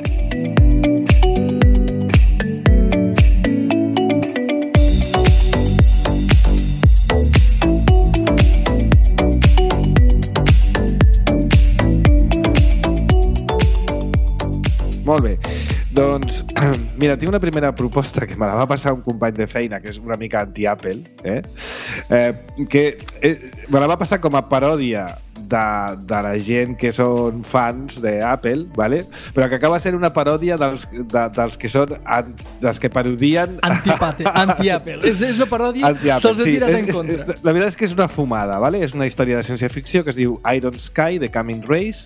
Molt bé. Doncs, mira, tinc una primera proposta que me la va passar un company de feina, que és una mica anti-Apple, eh? Eh, que eh, me la va passar com a paròdia de, de la gent que són fans d'Apple, ¿vale? Però que acaba sent una paròdia dels, de, dels que són an, dels que parodien Antipate, anti-Apple. És, és una paròdia, se'ls ha tirat sí, en contra. És, la veritat és que és una fumada, ¿vale? És una història de ciència-ficció que es diu Iron Sky, de Coming Race,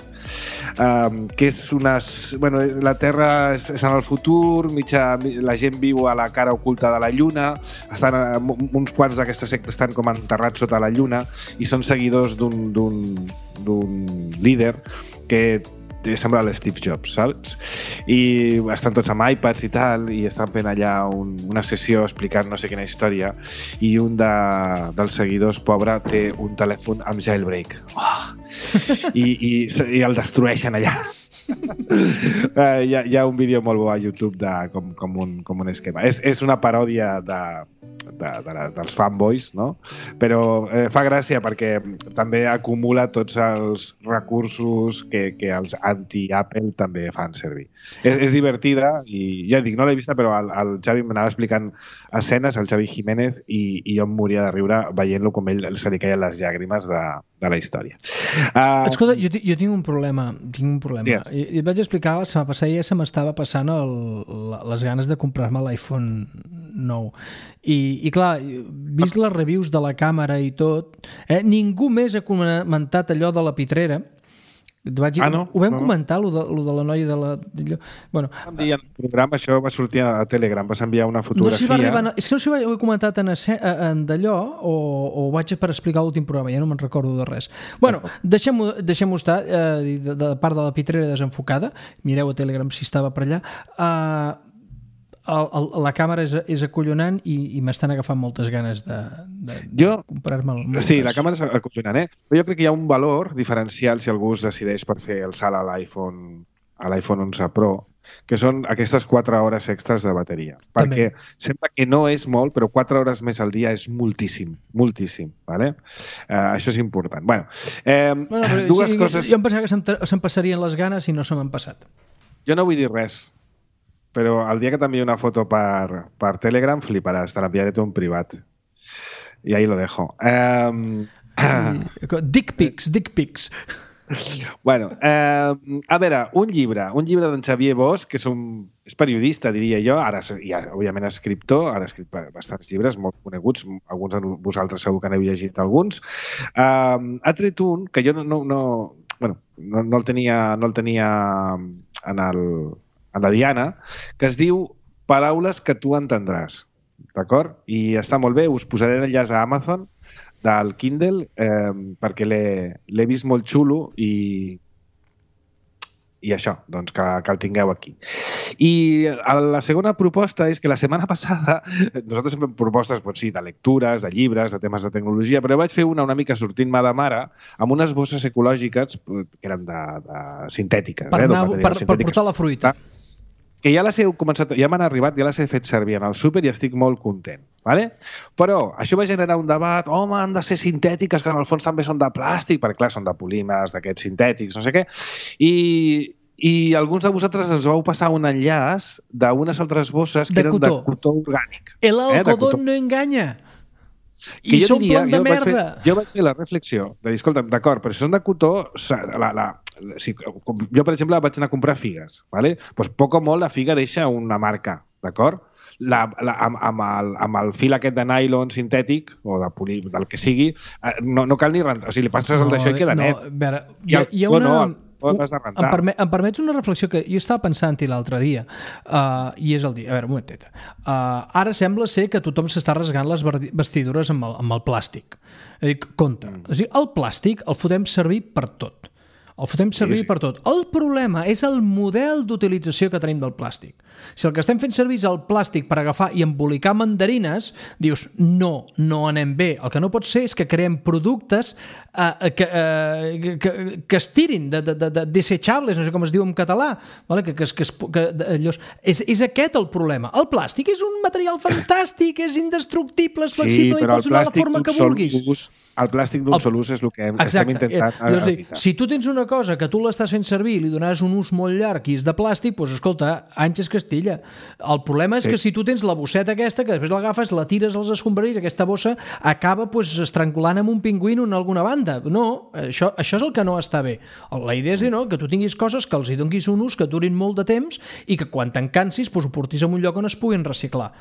um, que és unes... Bueno, la Terra és, és en el futur, mitja, la gent viu a la cara oculta de la Lluna, estan, uns quants d'aquesta secta estan com enterrats sota la Lluna i són seguidors d'un d'un líder que sembla l'Steve Jobs, saps? I estan tots amb iPads i tal, i estan fent allà un, una sessió explicant no sé quina història, i un de, dels seguidors, pobre, té un telèfon amb jailbreak. Oh! I, i, i el destrueixen allà. uh, hi, ha, hi ha un vídeo molt bo a YouTube de, com, com, un, com un esquema. És, és una paròdia de, de, de la, dels fanboys, no? Però eh, fa gràcia perquè també acumula tots els recursos que, que els anti-Apple també fan servir. És, és divertida i ja dic, no l'he vista, però el, el Xavi m'anava explicant escenes, el Xavi Jiménez, i, i jo em moria de riure veient-lo com ell se li caien les llàgrimes de, de la història. Uh, Escolta, jo, jo tinc un problema, tinc un problema. Yes. I, i et vaig explicar la setmana passada, ja se m'estava passant el, la, les ganes de comprar-me l'iPhone nou. I, i clar, vist les reviews de la càmera i tot, eh, ningú més ha comentat allò de la pitrera. Vaig, ah, no? Ho vam no. comentar, lo de, lo de la noia de la... De, bueno, vam dir en el programa, això va sortir a Telegram, vas enviar una fotografia... No si va arribar, és que no sé si ho he comentat en, en d'allò o, o vaig per explicar l'últim programa, ja no me'n recordo de res. Bueno, deixem-ho deixem estar, eh, de, de part de la pitrera desenfocada, mireu a Telegram si estava per allà, eh, el, el, la càmera és, és acollonant i, i m'estan agafant moltes ganes de, de, jo, de comprar-me el Sí, la càmera és acollonant, eh? Però jo crec que hi ha un valor diferencial si algú es decideix per fer el salt a l'iPhone a l'iPhone onze Pro, que són aquestes quatre hores extres de bateria. Perquè també sembla que no és molt, però quatre hores més al dia és moltíssim, moltíssim, ¿vale? Uh, això és important. Bueno, eh, bueno però, dues sí, coses... Jo em pensava que se'm, se'm passarien les ganes i no se m'han passat. Jo no vull dir res, però el dia que t'enviï una foto per, per Telegram fliparàs, te l'enviaré tu en privat. I ahí lo dejo. Um... Dick pics, dick pics. Bueno, eh, a veure, un llibre, un llibre d'en Xavier Bosch, que és, un, és periodista, diria jo, ara ja, òbviament escriptor, ara ha escrit bastants llibres molt coneguts, alguns de vosaltres segur que n'heu llegit alguns. Eh, ha tret un que jo no, no, no, bueno, no, no, el tenia, no el tenia en, el, en la Diana, que es diu Paraules que tu entendràs, d'acord? I està molt bé, us posaré l'enllaç a Amazon del Kindle, eh, perquè l'he vist molt xulo i, i això, doncs que, que el tingueu aquí. I la segona proposta és que la setmana passada, nosaltres fem propostes, doncs sí, de lectures, de llibres, de temes de tecnologia, però vaig fer una una mica sortint-me de mare amb unes bosses ecològiques que eren de, de sintètiques. Per, eh, anar, per, per portar la fruita. Que ja les he començat, ja m'han arribat, ja les he fet servir en el súper i estic molt content. Vale? Però això va generar un debat, home, han de ser sintètiques, que en el fons també són de plàstic, perquè clar, són de polímers, d'aquests sintètics, no sé què, i, i alguns de vosaltres ens vau passar un enllaç d'unes altres bosses que de eren cotó. de cotó orgànic. El algodón eh, no enganya. Que I s'omplen de merda. Vaig fer, jo vaig fer la reflexió de dir, escolta'm, d'acord, però si són de cotó, la, la, la, si, jo, per exemple, vaig anar a comprar figues, ¿vale? Pues poc o molt la figa deixa una marca, d'acord? La, la, amb, amb, el, amb el fil aquest de nylon sintètic, o de poli, del que sigui, no, no cal ni rentar. O sigui, li passes no, el d'això i queda no, net. Vera, I el, hi ha una... no, l'has de rentar. Em, permet, em permets una reflexió que jo estava pensant-hi l'altre dia, uh, i és el dia... A veure, un momentet. Uh, ara sembla ser que tothom s'està rasgant les vestidures amb el, amb el plàstic. És a dir, compte. Mm. És a dir, el plàstic el fotem servir per tot. El fotem servir sí, sí. per tot. El problema és el model d'utilització que tenim del plàstic. Si el que estem fent servir és el plàstic per agafar i embolicar mandarines, dius, no, no anem bé. El que no pot ser és que creem productes eh, que, eh, que, que es tirin, de, de, de desechables, no sé com es diu en català, vale? que, que, que, que allò, és, és aquest el problema. El plàstic és un material fantàstic, és indestructible, és flexible, sí, i pots donar la forma que vulguis. Ús, el plàstic d'un sol ús és el que hem, estem intentant eh, evitar. Si tu tens una cosa que tu l'estàs fent servir i li donaràs un ús molt llarg i és de plàstic, doncs escolta, anys és Castilla. El problema és sí. que si tu tens la bosseta aquesta, que després l'agafes, la tires als escombraris, aquesta bossa acaba pues, estrangulant amb un pingüino en alguna banda. No, això, això és el que no està bé. La idea és dir, no, que tu tinguis coses que els hi donis un ús, que durin molt de temps i que quan te'n cansis pues, ho portis en un lloc on es puguin reciclar.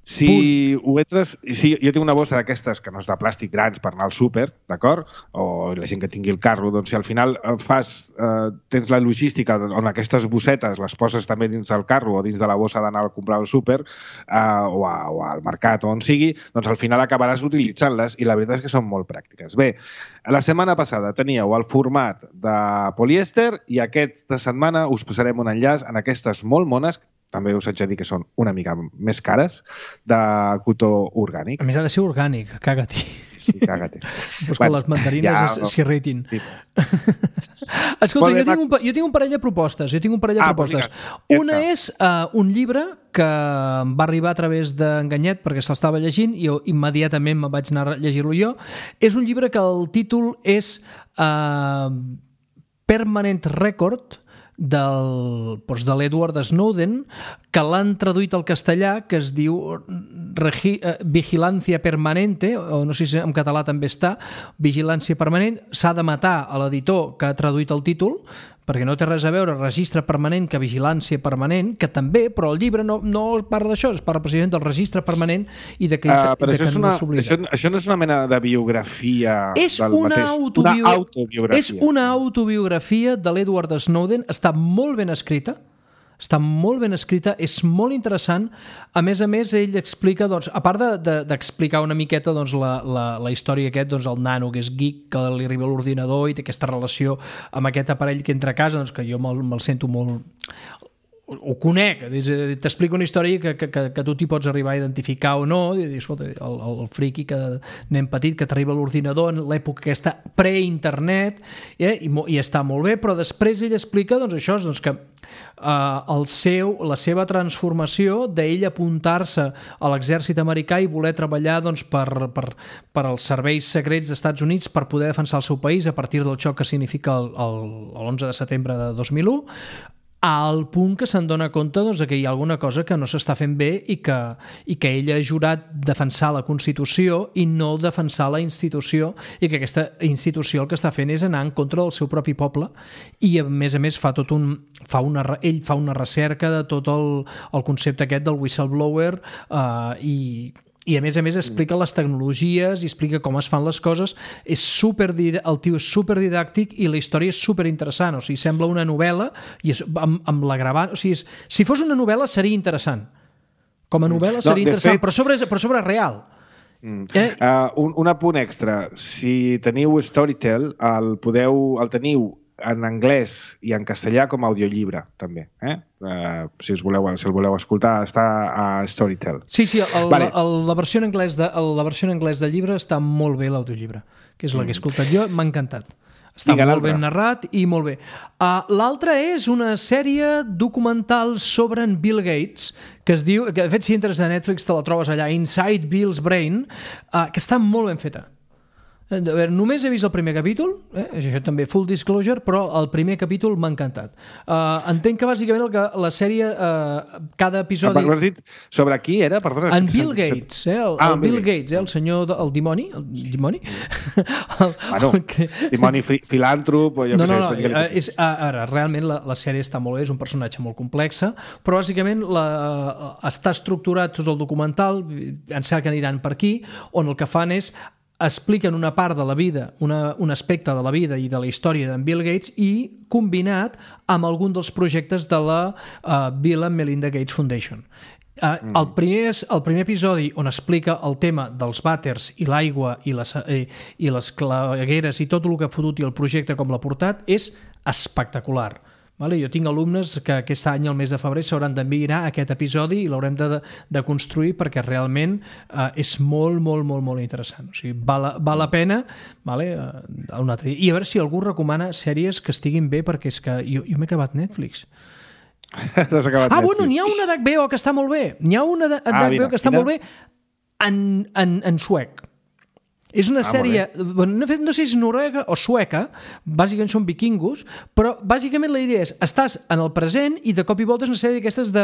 Si ho entres... Si jo tinc una bossa d'aquestes que no és de plàstic grans per anar al súper, d'acord? O la gent que tingui el carro, doncs si al final fas, eh, tens la logística on aquestes bossetes les poses també dins del carro o dins de la bossa d'anar a comprar al súper eh, o, a, o al mercat o on sigui, doncs al final acabaràs utilitzant-les i la veritat és que són molt pràctiques. Bé, la setmana passada teníeu el format de polièster i aquesta setmana us passarem un enllaç en aquestes molt mones, també us haig de dir que són una mica més cares, de cotó orgànic. A més ha de ser orgànic, caga-t'hi. Sí, caga-t'hi. Pues bueno, que les mandarines ja, s'irritin. Sí. Escolta, jo tinc, un, jo tinc un parell de propostes. Jo tinc un parell de ah, propostes. Pues una és uh, un llibre que em va arribar a través d'Enganyet perquè se'l llegint i jo immediatament me vaig anar a llegir-lo jo. És un llibre que el títol és uh, Permanent Record, del, doncs de l'Edward Snowden, que l'han traduït al castellà, que es diu Regi, eh, Vigilància Permanente, o no sé si en català també està, Vigilància Permanent. S'ha de matar a l'editor que ha traduït el títol, perquè no té res a veure registre permanent que vigilància permanent, que també, però el llibre no, no es parla d'això, es parla precisament del registre permanent i de que, uh, de que no s'oblida. Això, això no és una mena de biografia és del una mateix? Autobio... Una autobiografia. És una autobiografia de l'Edward Snowden, està molt ben escrita, està molt ben escrita, és molt interessant. A més a més, ell explica, doncs, a part d'explicar de, de, una miqueta doncs, la, la, la història aquest, doncs, el nano que és geek, que li arriba a l'ordinador i té aquesta relació amb aquest aparell que entra a casa, doncs, que jo me'l me sento molt... ho conec, t'explico una història que, que, que, que tu t'hi pots arribar a identificar o no, i dir, escolta, el, el friqui que anem petit, que t'arriba a l'ordinador en l'època aquesta pre-internet, eh, i, i està molt bé, però després ell explica doncs, això, doncs, que Uh, el seu, la seva transformació d'ell apuntar-se a l'exèrcit americà i voler treballar doncs, per, per, per als serveis secrets dels Estats Units per poder defensar el seu país a partir del xoc que significa l'onze de setembre de dos mil u, al punt que se'n dona compte doncs, que hi ha alguna cosa que no s'està fent bé i que, i que ell ha jurat defensar la Constitució i no defensar la institució, i que aquesta institució el que està fent és anar en contra del seu propi poble, i a més a més fa tot un, fa una, ell fa una recerca de tot el, el concepte aquest del whistleblower uh, i i a més a més explica les tecnologies i explica com es fan les coses. És super, el tio és superdidàctic i la història és superinteressant, o sigui, sembla una novel·la i és, amb, amb la gravant, o sigui, és, si fos una novel·la seria interessant, com a novel·la seria no, interessant, fet... però, sobre, però sobre real. Mm. Eh? Uh, un, un apunt extra, si teniu Storytel, el, podeu, el teniu en anglès i en castellà com a audiollibre, també. Eh? Uh, si, us voleu, si el voleu escoltar, està a Storytel. Sí, sí, el, vale. el, la, versió en anglès de, el, la versió en anglès del llibre està molt bé, l'audiollibre, que és la que he escoltat jo, m'ha encantat. Està molt ben narrat i molt bé. Uh, L'altre és una sèrie documental sobre en Bill Gates, que es diu, que de fet si entres a Netflix te la trobes allà, Inside Bill's Brain, uh, que està molt ben feta. A veure, només he vist el primer capítol, eh? Això també full disclosure, però el primer capítol m'ha encantat. Uh, entenc que bàsicament el que la sèrie, uh, cada episodi... Ah, has dit sobre qui era? Perdona. En Bill Gates, eh? el, ah, el Bill Gates, Gates eh? el senyor, de, el dimoni, el dimoni? el, bueno, el que... dimoni filàntrop o jo no, no, no, sé. No, no, és, ara, realment la, la sèrie està molt bé, és un personatge molt complex, però bàsicament la, està estructurat tot el documental, em sembla que aniran per aquí, on el que fan és expliquen una part de la vida, una, un aspecte de la vida i de la història d'en Bill Gates i combinat amb algun dels projectes de la uh, Bill and Melinda Gates Foundation. Uh, mm. el, primer, el primer episodi on explica el tema dels vàters i l'aigua i les, eh, i les clavegueres i tot el que ha fotut i el projecte com l'ha portat és espectacular. Vale? Jo tinc alumnes que aquest any, al mes de febrer, s'hauran d'enviar aquest episodi i l'haurem de, de construir perquè realment eh, és molt, molt, molt, molt interessant. O sigui, val, val la pena, vale? Uh, un altre dia. I a veure si algú recomana sèries que estiguin bé, perquè és que jo, jo m'he acabat Netflix. T'has acabat ah, Netflix. Bueno, n'hi ha una d'H B O que està molt bé. N'hi ha una d'H B O ah, que està quina? molt bé en, en, en suec. És una ah, sèrie, no, no sé si és noruega o sueca, bàsicament són vikingos, però bàsicament la idea és, estàs en el present i de cop i volta és una sèrie d'aquestes de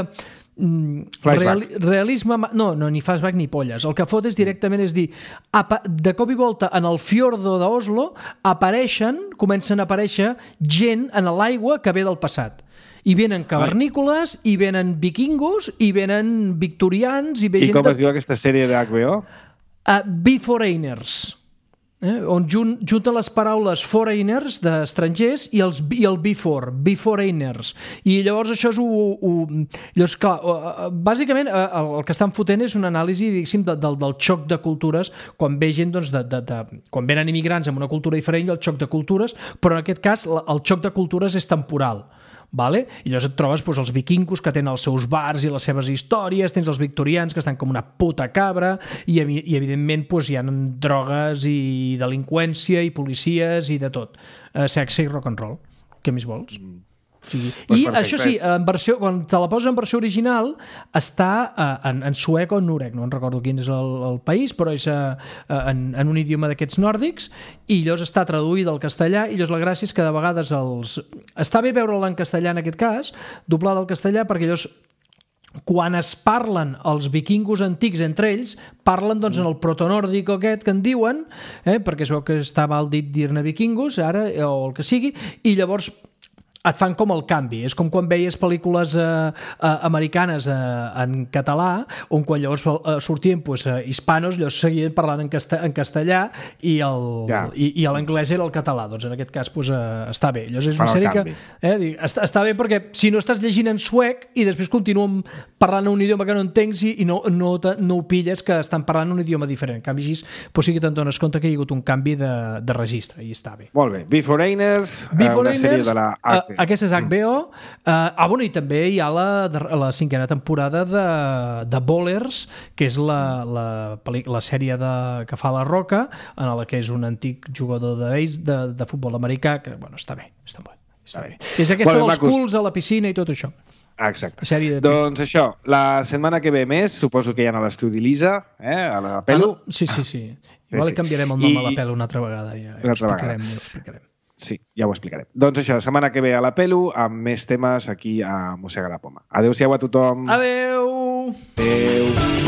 mm, real, realisme, no, no, ni flashback ni polles, el que fot és directament és dir, de cop i volta en el fiordo d'Oslo apareixen, comencen a aparèixer gent en l'aigua que ve del passat. I venen cavernícoles, i venen vikingos, i venen victorians... I, ve I gent com de... es diu aquesta sèrie d'H B O? Uh, Beforeigners, eh? on jun, junten les paraules foreigners, d'estrangers, i, els, i el before, beforeigners. I llavors això és... U, u, llavors, clar, uh, bàsicament uh, el que estan fotent és una anàlisi, diguéssim, de, del, del xoc de cultures, quan ve gent, doncs, de, de, de, quan venen immigrants amb una cultura diferent, el xoc de cultures, però en aquest cas el xoc de cultures és temporal. Vale? I llavors et trobes doncs, els vikingos que tenen els seus bars i les seves històries, tens els victorians que estan com una puta cabra i, i evidentment doncs, hi ha drogues i delinqüència i policies i de tot. Uh, sexe i rock and roll. Què més vols? Mm. Sí. I perfecte. Això sí, en versió, quan te la poses en versió original està uh, en, en suec o en norec, no en recordo quin és el, el país, però és uh, en, en un idioma d'aquests nòrdics i llavors està traduïda al castellà i llavors la gràcia és que de vegades els... està bé veure-la en castellà en aquest cas, doblada al castellà, perquè llavors quan es parlen els vikingos antics entre ells, parlen doncs en el protonòrdic aquest que en diuen, eh, perquè es veu que està mal dit dir-ne vikingos ara, o el que sigui, i llavors et fan com el canvi. És com quan veies pel·lícules eh, eh, americanes eh, en català, on quan llavors eh, sortien pues, eh, hispanos, llavors seguien parlant en, casta en castellà i el, ja. i, i l'anglès era el català. Doncs en aquest cas pues, eh, està bé. Llavors és una sèrie que... Eh, dic, està, està bé perquè si no estàs llegint en suec i després continuen parlant un idioma que no entencs i, i no, no, no ho pilles que estan parlant un idioma diferent. En canvi, així pues, sí que te'n dones compte que hi ha hagut un canvi de, de registre i està bé. Molt bé. Beforeigners, una sèrie de la H B O. Aquesta és H B O. Uh, ah, bueno, i també hi ha la, la cinquena temporada de, de Bowlers, que és la, la, la sèrie de, que fa La Roca, en la que és un antic jugador de, de, de futbol americà, que, bueno, està bé, està bé. Està bé. És aquesta bueno, dels culs a la piscina i tot això. Exacte. De... Doncs això, la setmana que ve més, suposo que hi ha a l'estudi d'Elisa, eh, a la Pelu. Ah, no? Sí, sí, sí. Igual sí. canviarem el nom I... a la Pelu una altra vegada. Ja, ja una altra explicarem, vegada. Ja explicarem. Sí, ja ho explicarem. Doncs això, setmana que ve a la Pelu, amb més temes aquí a Mossega la Poma. Adéu-siau a tothom. Adéu! Adéu!